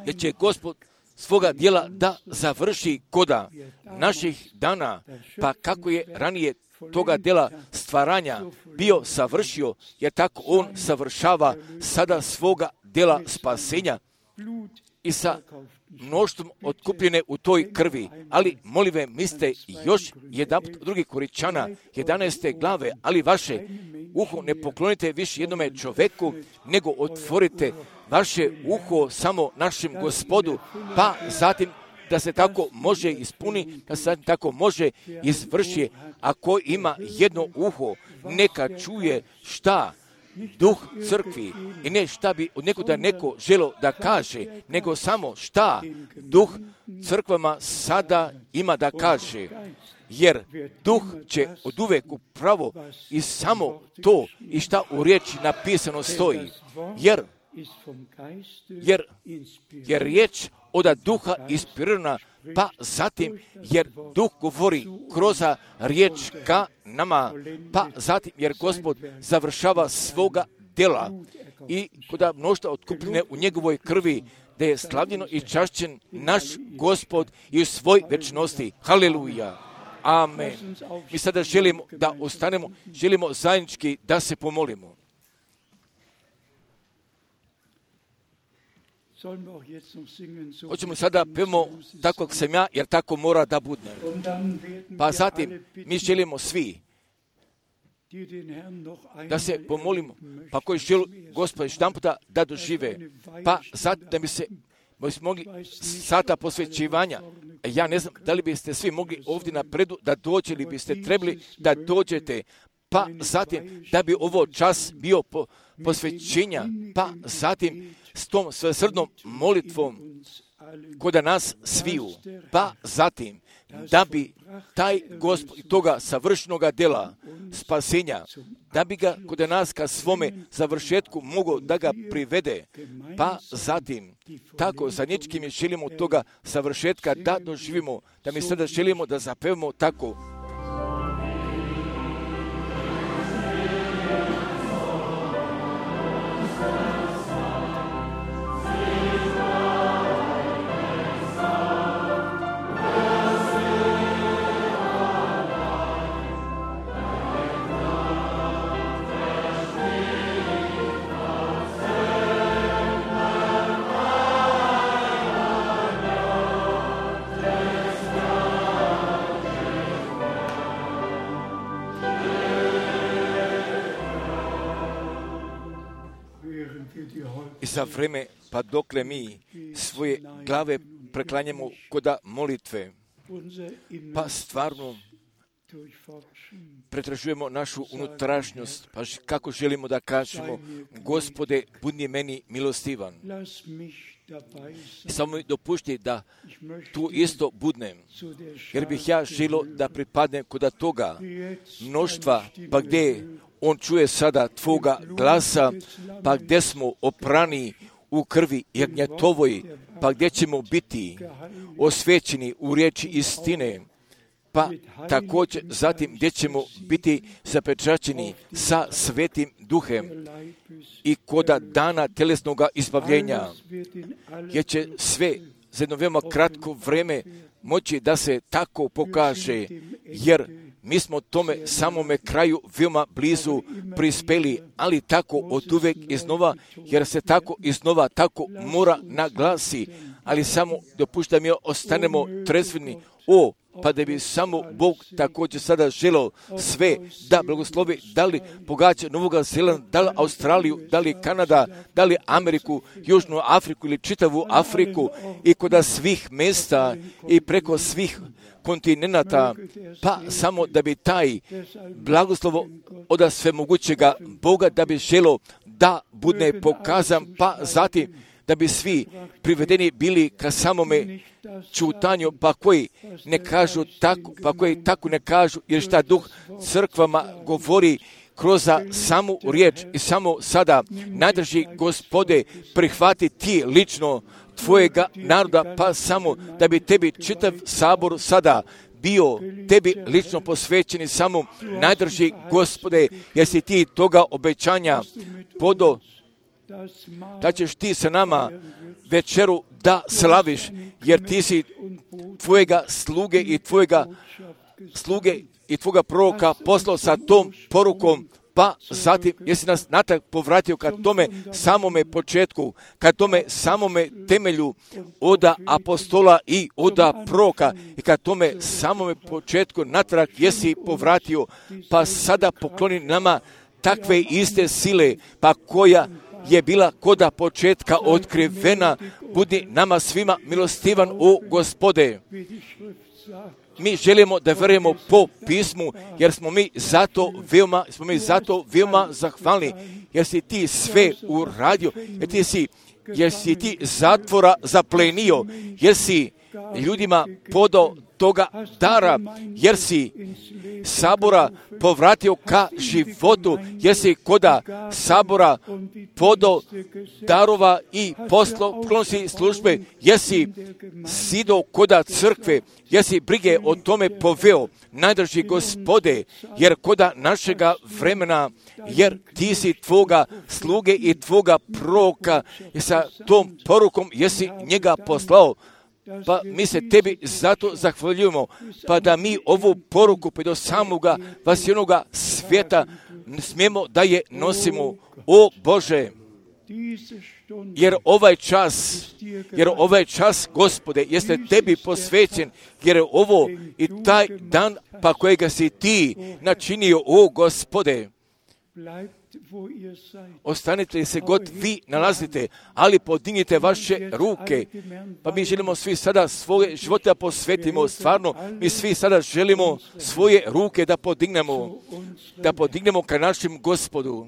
Jer će Gospod svoga djela da završi koda naših dana, pa kako je ranije toga djela stvaranja bio savršio, jer tako On savršava sada svoga djela spasenja i sa mnoštvom otkupljene u toj krvi. Ali molim ve, mislite još jedan drugi Koričana, jedanaeste glave, ali vaše uho ne poklonite više jednome čoveku, nego otvorite vaše uho samo našem Gospodu, pa zatim da se tako može ispuni, da se tako može izvrši. Ako ima jedno uho, neka čuje šta duh crkvi i ne šta bi od nekuda neko želo da kaže, nego samo šta duh crkvama sada ima da kaže. Jer duh će od uvek upravo i samo to i šta u riječi napisano stoji. Jer, jer, jer riječ od duha inspirirana, pa zatim jer duh govori kroz riječ ka nama, pa zatim jer Gospod završava svoga djela i koda mnoštva otkupljene u njegovoj krvi, da je slavljeno i čašćen naš Gospod i u svoj večnosti. Haleluja. Amen. Mi sada želimo da ostanemo, želimo zajednički da se pomolimo. Hoćemo sada pevamo tako kako sam ja, jer tako mora da budne. Pa zatim mi želimo svi da se pomolimo, pa koji žele Gospoda jedan puta da dožive, pa zatim da bi se mogli sata posvećivanja. Ja ne znam da li biste svi mogli ovdje napredu da dođe ili biste trebali da dođete, pa zatim da bi ovo čas bio po, posvećenja, pa zatim s tom svesrdnom molitvom kod nas sviju, pa zatim da bi taj Gospod toga savršenoga djela spasenja, da bi ga kod nas ka svome završetku mogao da ga privede, pa zatim tako zajednički mi želimo toga savršetka da doživimo, da mi sada želimo da zapevamo tako. I za vreme, pa dokle mi svoje glave preklanjamo koda molitve, pa stvarno pretražujemo našu unutrašnjost, pa kako želimo da kažemo, Gospode, budi meni milostivan. I samo mi dopušti da tu isto budnem, jer bih ja želio da pripadnem koda toga mnoštva, pa gdje on čuje sada tvoga glasa, pa gdje smo oprani u krvi jagnjetovoj, pa gdje ćemo biti osvećeni u riječi istine, pa također zatim gdje ćemo biti zapečaćeni sa svetim duhem i koda dana telesnoga izbavljenja, jer će sve za jedno veoma kratko vrijeme moći da se tako pokaže, jer mi smo tome samome kraju veoma blizu prispeli, ali tako od uvek iznova, jer se tako iznova tako mora naglasi, ali samo dopušta mi ostanemo trezveni, o, pa da bi samo Bog također sada želeo sve da blagoslovi, da li pogađa Novoga Zelanda, da li Australiju, da li Kanada, da li Ameriku, Južnu Afriku ili čitavu Afriku i kod svih mjesta i preko svih kontinenata, pa samo da bi taj blagoslovo od svemogućega Boga da bi želeo da bude pokazan, pa zatim da bi svi privedeni bili ka samome čutanju, pa koji ne kažu tako, pa koji tako ne kažu, jer šta duh crkvama govori kroz samu riječ i samo sada najdrži Gospode prihvati ti lično tvojega naroda, pa samo da bi tebi čitav sabor sada bio tebi lično posvećeni samo najdrži Gospode, jer si ti toga obećanja podo da ćeš ti sa nama večeru da slaviš, jer ti si tvojega sluge i tvojega sluge i tvoga proroka poslao sa tom porukom, pa zatim jesi nas natrag povratio ka tome samome početku, ka tome samome temelju oda apostola i oda proroka i ka tome samome početku natrag jesi povratio, pa sada pokloni nama takve iste sile, pa koja je bila koda početka otkrivena, budi nama svima milostivan, o Gospode. mi želimo da verujemo po pismu, jer smo mi zato veoma, smo mi zato veoma zahvalni, jer si ti sve uradio, jer ti si, jer si ti zatvora zaplenio, jer si ljudima podao toga dara, jer si sabora povratio ka životu, jer si koda sabora podao darova i poslo pronosi službe, jer si sido koda crkve, jer si brige o tome poveo, najdraži Gospode, jer koda našega vremena, jer ti si tvoga sluge i tvoga proroka, i sa tom porukom jesi njega poslao. Pa mi se tebi zato zahvaljujemo, pa da mi ovu poruku pa do samoga vasionoga svijeta smijemo da je nosimo. O Bože, jer ovaj čas, jer ovaj čas, Gospode, jeste tebi posvećen, jer je ovo i taj dan pa kojega si ti načinio, o Gospode. Ostanite se god vi nalazite, ali podignite vaše ruke. Pa mi želimo svi sada svoje živote da posvetimo, stvarno, mi svi sada želimo svoje ruke da podignemo, da podignemo ka našem Gospodu.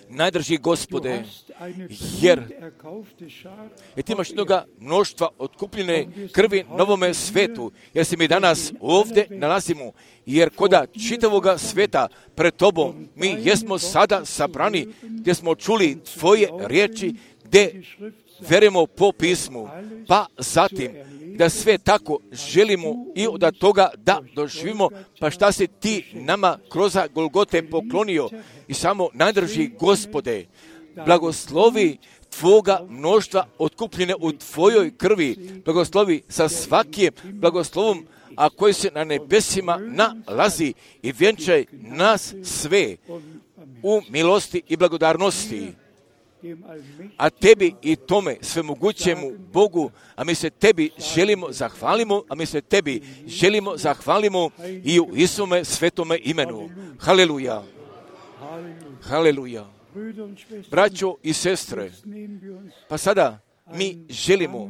Najdraži Gospode, jer, jer ti imaš mnoga mnoštva otkupljene krvi novome svetu, jer se mi danas ovdje nalazimo, jer koda čitavoga sveta pred tobom mi jesmo sada sabrani, gdje smo čuli tvoje riječi, gdje verujemo po pismu, pa zatim da sve tako želimo i od toga da doživimo, pa šta si ti nama kroz Golgote poklonio. I samo najdraži Gospode, blagoslovi tvoga mnoštva otkupljene u tvojoj krvi, blagoslovi sa svakim blagoslovom, a koji se na nebesima nalazi, i vjenčaj nas sve u milosti i blagodarnosti. A tebi i tome svemogućemu Bogu, a mi se tebi želimo zahvalimo, a mi se tebi želimo zahvalimo i u Isome svetome imenu. Haleluja. Haleluja. Braćo i sestre, pa sada mi želimo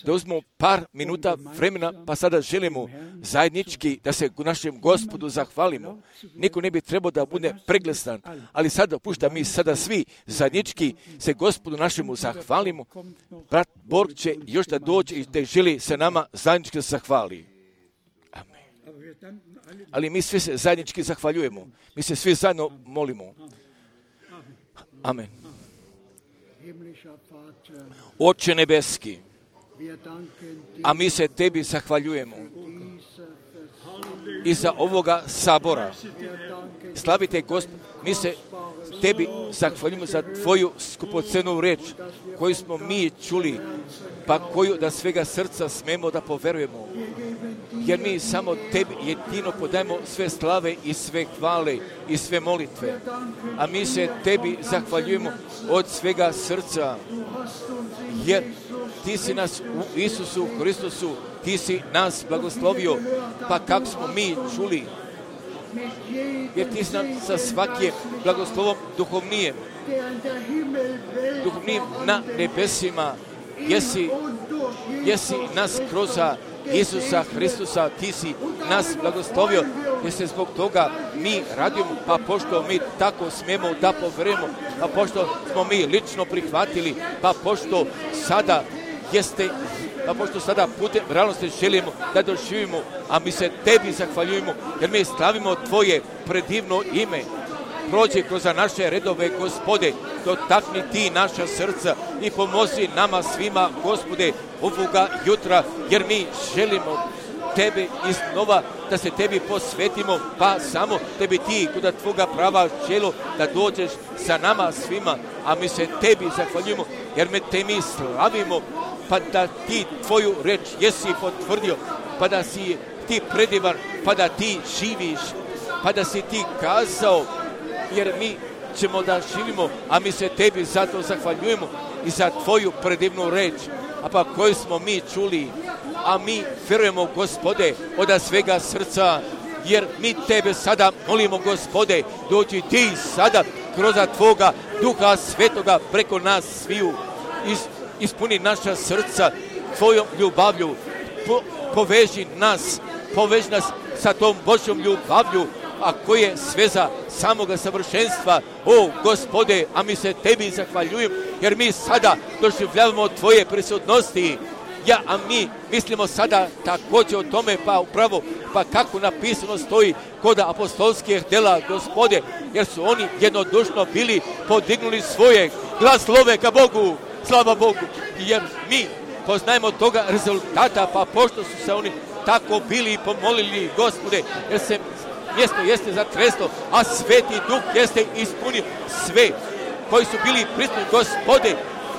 da uzmemo par minuta vremena, pa sada želimo zajednički da se našem Gospodu zahvalimo. Niko ne bi trebao da bude preglesan, ali sada pušta mi sada svi zajednički se Gospodu našemu zahvalimo. Brat Borg će još da dođe i da želi se nama zajednički da zahvali. Amen. Ali mi svi se zajednički zahvaljujemo. Mi se svi zajedno molimo. Amen. Oče nebeski, a mi se tebi zahvaljujemo i za ovoga sabora. Slavite Gospod, mi se tebi zahvaljujemo za tvoju skupocenu reč koju smo mi čuli, pa koju da svega srca smemo da poverujemo. Jer mi samo tebi jedino podajemo sve slave i sve hvale i sve molitve. A mi se tebi zahvaljujemo od svega srca, jer ti si nas u Isusu Hristusu, ti si nas blagoslovio, pa kako smo mi čuli, jer ti si nam sa svakim blagoslovom duhovnijem, duhovnijem na nebesima, jesi, jesi nas kroz Isusa Hristusa, ti si nas blagoslovio, jer se zbog toga mi radimo, pa pošto mi tako smemo da poverujemo, pa pošto smo mi lično prihvatili, pa pošto sada jeste, pa pošto sada putem realnosti želimo da doživimo, a mi se tebi zahvaljujemo, jer mi slavimo tvoje predivno ime. Prođi kroz naše redove, Gospode, dotakni ti naša srca i pomozi nama svima, Gospode, ovoga jutra, jer mi želimo tebe iznova da se tebi posvetimo, pa samo tebi ti kod tvoga prava čelo da dođeš sa nama svima, a mi se tebi zahvaljujemo, jer me te mi slavimo, pa da ti tvoju reč jesi potvrdio, pa da si ti predivan, pa da ti živiš, pa da si ti kazao, jer mi ćemo da živimo, a mi se tebi zato zahvaljujemo i za tvoju predivnu reč, a pa koju smo mi čuli, a mi verujemo, Gospode, od svega srca, jer mi tebe sada molimo, Gospode, dođi ti sada kroz tvoga Duha Svetoga preko nas sviju, Is, ispuni naša srca tvojom ljubavlju. Po, poveži nas, poveži nas sa tom Božjom ljubavlju, a koje je sveza samoga savršenstva. O Gospode, a mi se tebi zahvaljujemo, jer mi sada doživljavamo tvoje prisutnosti. Ja, a mi mislimo sada također o tome, pa upravo, pa kako napisano stoji kod apostolskih dela, Gospode, jer su oni jednodušno bili podignuli svoje glas slove ka Bogu, slava Bogu, jer mi poznajemo toga rezultata, pa pošto su se oni tako bili pomolili, Gospode, jer se mjesto jeste zatreslo, a Sveti Duh jeste ispunio sve koji su bili prisutni, Gospode.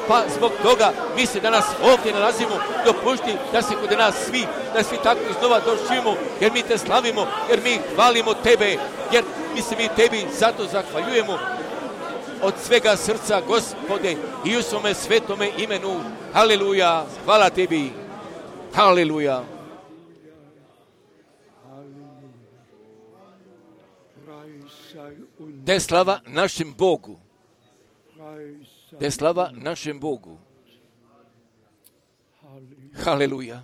Pa zbog toga mi se danas ovdje nalazimo, dopušti da se kod nas svi, da svi tako iznova doživimo, jer mi te slavimo, jer mi hvalimo tebe, jer mi se mi tebi zato zahvaljujemo od svega srca, Gospode, i u svome svetome imenu. Haleluja, hvala tebi. Haleluja. Da je slava našem Bogu. Da je slava našem Bogu. Haleluja.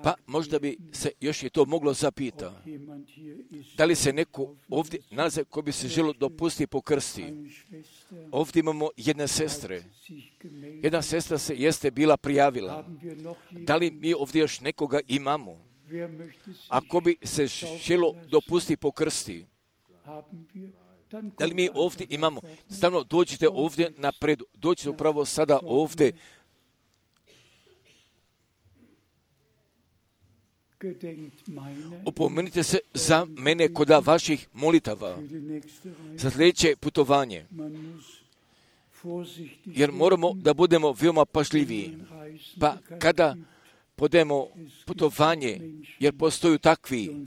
Pa možda bi se još i to moglo zapita. Da li se neko ovdje nalaze ko bi se želo dopustiti po krsti? Ovdje imamo jedne sestre. Jedna sestra se jeste bila prijavila. Da li mi ovdje još nekoga imamo? Ako bi se želo dopustiti po krsti, da li mi ovdje imamo? Stavno dođite ovdje napred, dođite upravo sada ovdje. Opomenite se za mene kod vaših molitava za sljedeće putovanje, jer moramo da budemo veoma pažljiviji. Pa kada podemo putovanje, jer postoju takvi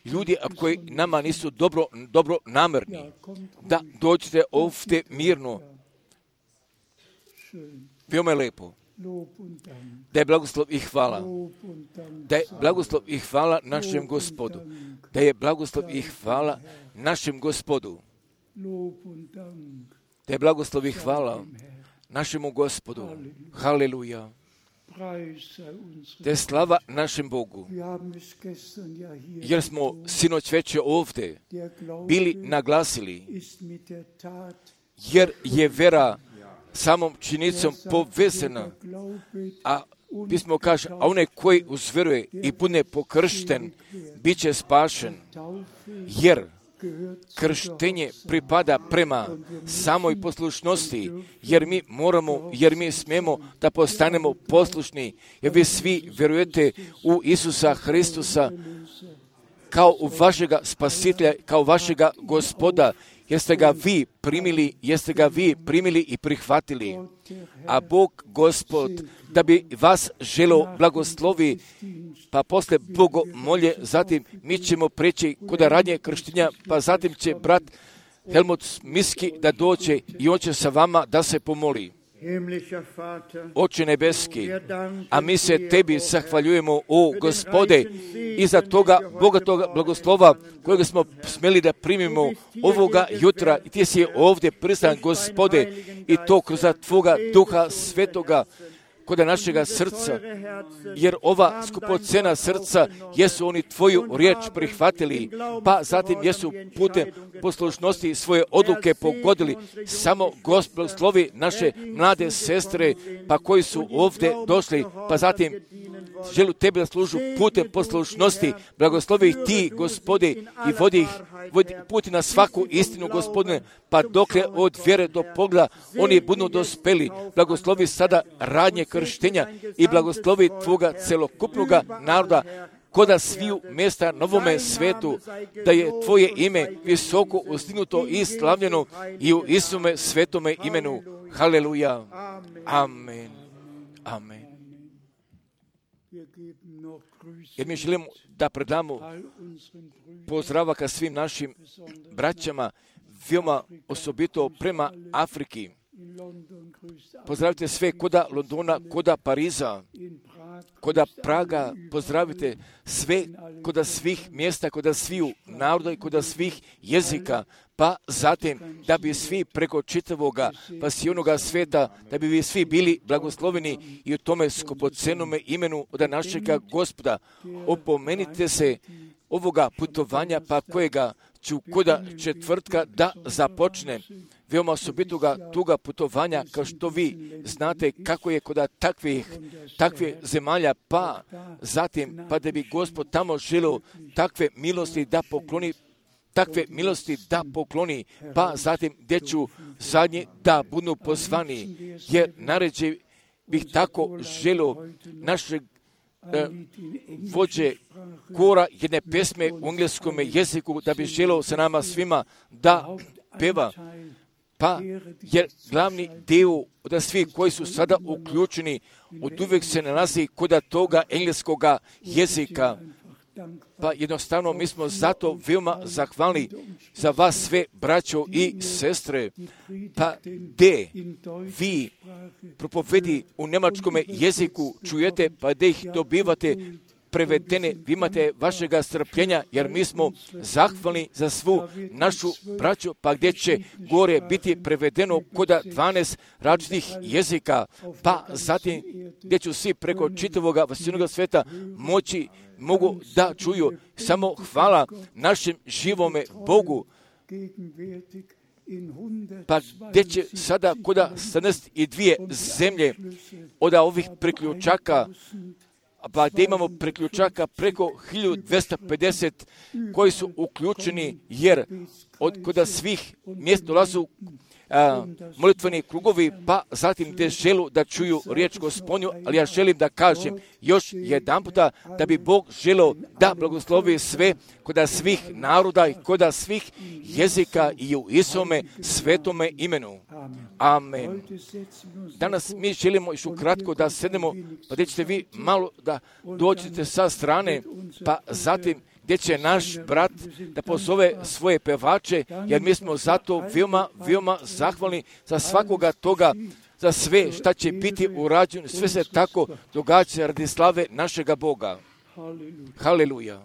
ljudi koji nama nisu dobro, dobro namerni, da dođete ovdje mirno. Veoma je lepo. Da je blagoslov i hvala. Da je blagoslov i hvala našem Gospodu. Da je blagoslov i hvala našem Gospodu. Da je blagoslov i hvala našemu Gospodu. Haleluja. Da je slava našem Bogu. Jer smo sinoć večer ovdje bili naglasili, jer je vera samom činicom povezana, a pismo kaže, a onaj koji uzveruje i bude pokršten, bit će spašen, jer krštenje pripada prema samoj poslušnosti, jer mi moramo, jer mi smijemo da postanemo poslušni, jer vi svi vjerujete u Isusa Hristusa kao u vašega spasitelja, kao vašega Gospoda, jeste ga vi primili, jeste ga vi primili i prihvatili. A Bog Gospod, da bi vas želo blagoslovi, pa posle bogomolje, zatim mi ćemo preći kod radnje krštenja, pa zatim će brat Helmut Miski da dođe i on će sa vama da se pomoli. Oče nebeski, a mi se tebi zahvaljujemo, o Gospode, i za toga bogatoga blagoslova kojega smo smjeli da primimo ovoga jutra, i ti si ovdje prisutan, Gospode, i to kroz tvoga Duha Svetoga kod našega srca, jer ova skupocena srca jesu oni tvoju riječ prihvatili, pa zatim jesu putem poslušnosti svoje odluke pogodili. Samo Gospod slovi naše mlade sestre, pa koji su ovdje došli, pa zatim želu tebe da služu putem poslušnosti. Blagoslovi ih ti, Gospode, i vodi ih vodi puti na svaku istinu, Gospodine, pa dokle od vjere do pogleda oni budu dospeli. Blagoslovi sada radnje krštenja i blagoslovi tvoga celokupnoga naroda koda sviju mjesta na ovome svetu, da je tvoje ime visoko ustignuto i slavljeno i u Isume svetome imenu. Haleluja. Amen. Amen. Jer mi želimo da predamo pozdrava ka svim našim braćama, veoma osobito prema Afriki. Pozdravite sve koda Londona, koda Pariza, Koda Praga pozdravite sve, koda svih mjesta, koda sviju naroda i koda svih jezika, pa zatim da bi svi preko čitavoga pasijonoga sveta, da bi vi svi bili blagosloveni i u tome skupocenome imenu od našega Gospoda. Opomenite se ovoga putovanja, pa kojega ću koda četvrtka da započne. Veoma osobitoga tuga putovanja, kao što vi znate kako je koda takvih, takve zemalja, pa zatim, pa da bi Gospod tamo želio takve milosti da pokloni, takve milosti da pokloni, pa zatim gdje ću zadnji da budu pozvani, jer naređe bih tako želio našeg e, vođe kora jedne pesme u engleskom jeziku, da bi želio sa nama svima da peva. Pa, jer glavni dio od svih koji su sada uključeni, od uvijek se nalazi kod toga engleskoga jezika. Pa jednostavno mi smo zato veoma zahvalni za vas sve, braćo i sestre. Pa gdje vi propovedi u njemačkom jeziku čujete, pa gdje ih dobivate prevedene, vi imate vašega strpljenja, jer mi smo zahvalni za svu našu braću, pa gdje će gore biti prevedeno koda dvanaest različitih jezika, pa zatim gdje ću svi preko čitavoga vasijnoga sveta moći, mogu da čuju samo hvala našem živome Bogu. Pa gdje će sada koda sedamnaest dvije zemlje od ovih priključaka, pa gdje imamo priključaka preko hiljadu dvjesto pedeset koji su uključeni, jer od koda svih mjesta dolazu a, molitveni krugovi, pa zatim gdje želu da čuju riječ Gospodnju, ali ja želim da kažem još jedan puta da bi Bog želio da blagoslovi sve koda svih naroda i koda svih jezika i u Isome svetome imenu. Amen. Danas mi želimo još ukratko da sednemo, pa gdje ćete vi malo da dođete sa strane, pa zatim gdje će naš brat da pozove svoje pevače, jer mi smo zato veoma, veoma zahvalni za svakoga toga, za sve šta će biti urađeno, sve se tako događa radi slave našega Boga. Haleluja.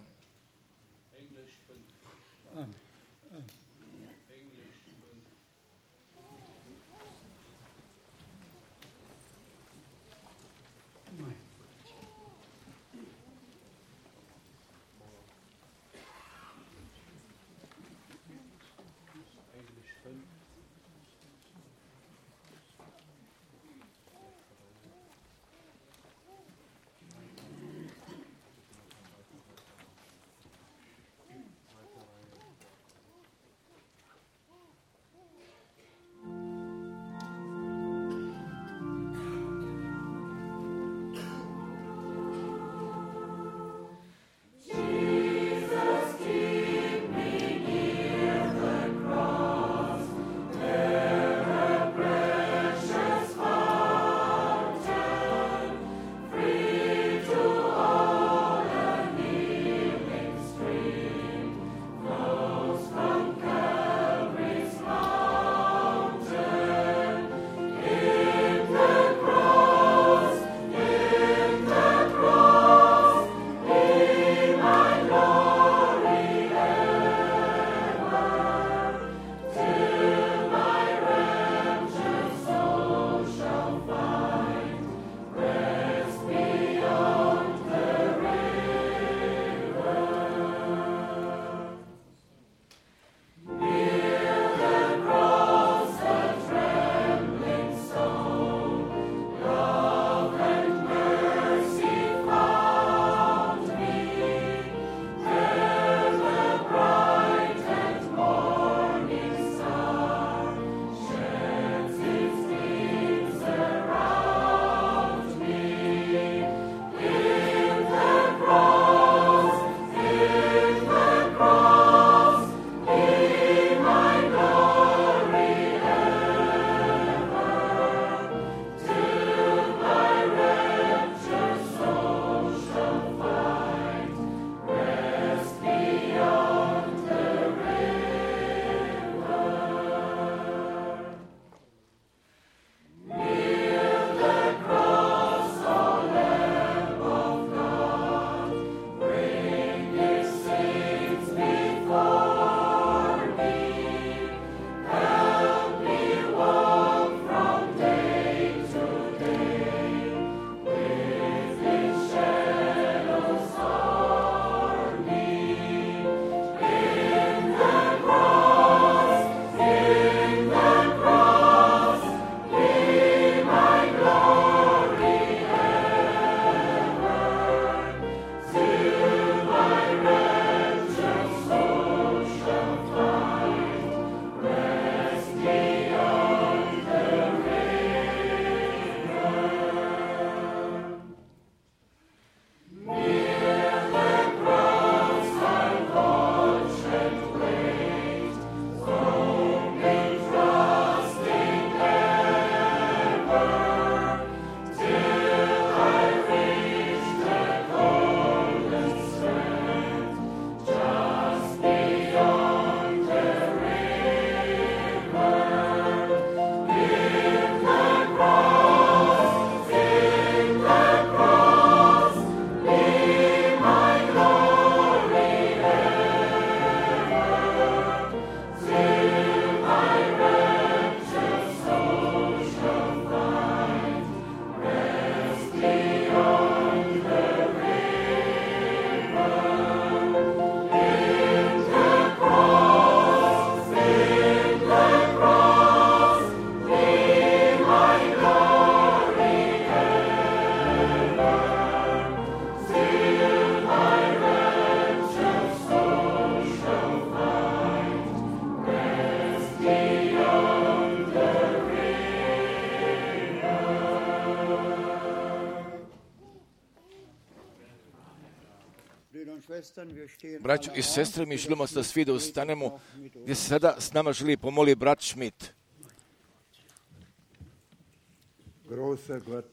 Braćo i sestre, mi želimo da svi da ustanemo, gdje se sada s nama želi pomoli brat Schmidt.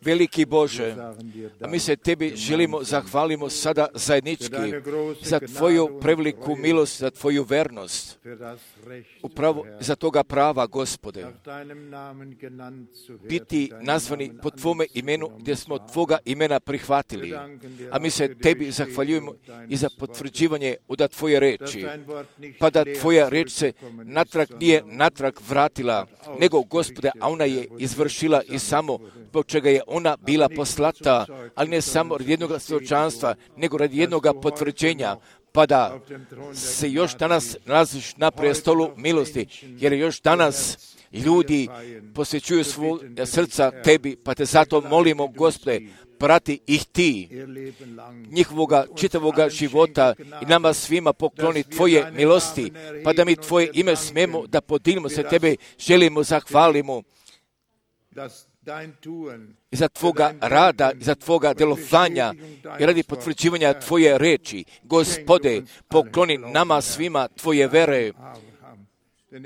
Veliki Bože, a mi se Tebi želimo, zahvalimo sada zajednički za Tvoju preveliku milost, za Tvoju vernost, upravo za toga prava, Gospode, biti nazvani po Tvome imenu, gdje smo Tvoga imena prihvatili. A mi se Tebi zahvaljujemo i za potvrđivanje da Tvoje reči, pa da Tvoja reč se natrag nije natrag vratila, nego, Gospode, a ona je izvršila i samo zbog čega je ona bila poslata, ali ne samo radi jednog svjedočanstva, nego radi jednog potvrđenja, pa da se još danas nalaziš na prestolu milosti, jer još danas ljudi posvećuju svoja srca Tebi, pa te zato molimo, Gospode, prati ih Ti, njihovoga čitavoga života i nama svima pokloni Tvoje milosti, pa da mi Tvoje ime smemo da podijelimo se Tebe, želimo, zahvalimo i za Tvoga rada, i za Tvoga djelovanja i radi potvrđivanja Tvoje reči. Gospode, pokloni nama svima Tvoje vere.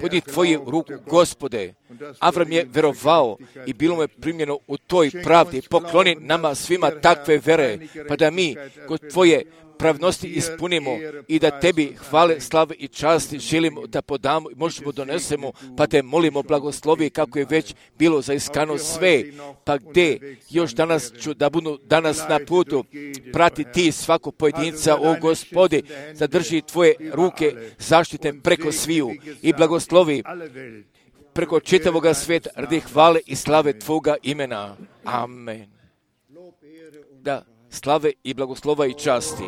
Podi Tvoju ruku, Gospode. Avram je verovao i bilo mu je primljeno u toj pravdi. Pokloni nama svima takve vere, pa da mi kod Tvoje pravnosti ispunimo i da Tebi hvale, slave i časti želimo da podamo i možemo donesemo, pa te molimo blagoslovi kako je već bilo zaiskano sve, pa gdje još danas ću da budu danas na putu, prati Ti svako pojedinca, o Gospodi, zadrži Tvoje ruke zaštite preko sviju i blagoslovi preko čitavoga svijeta radi hvale i slave Tvoga imena. Amen. Da, slave i blagoslova i časti.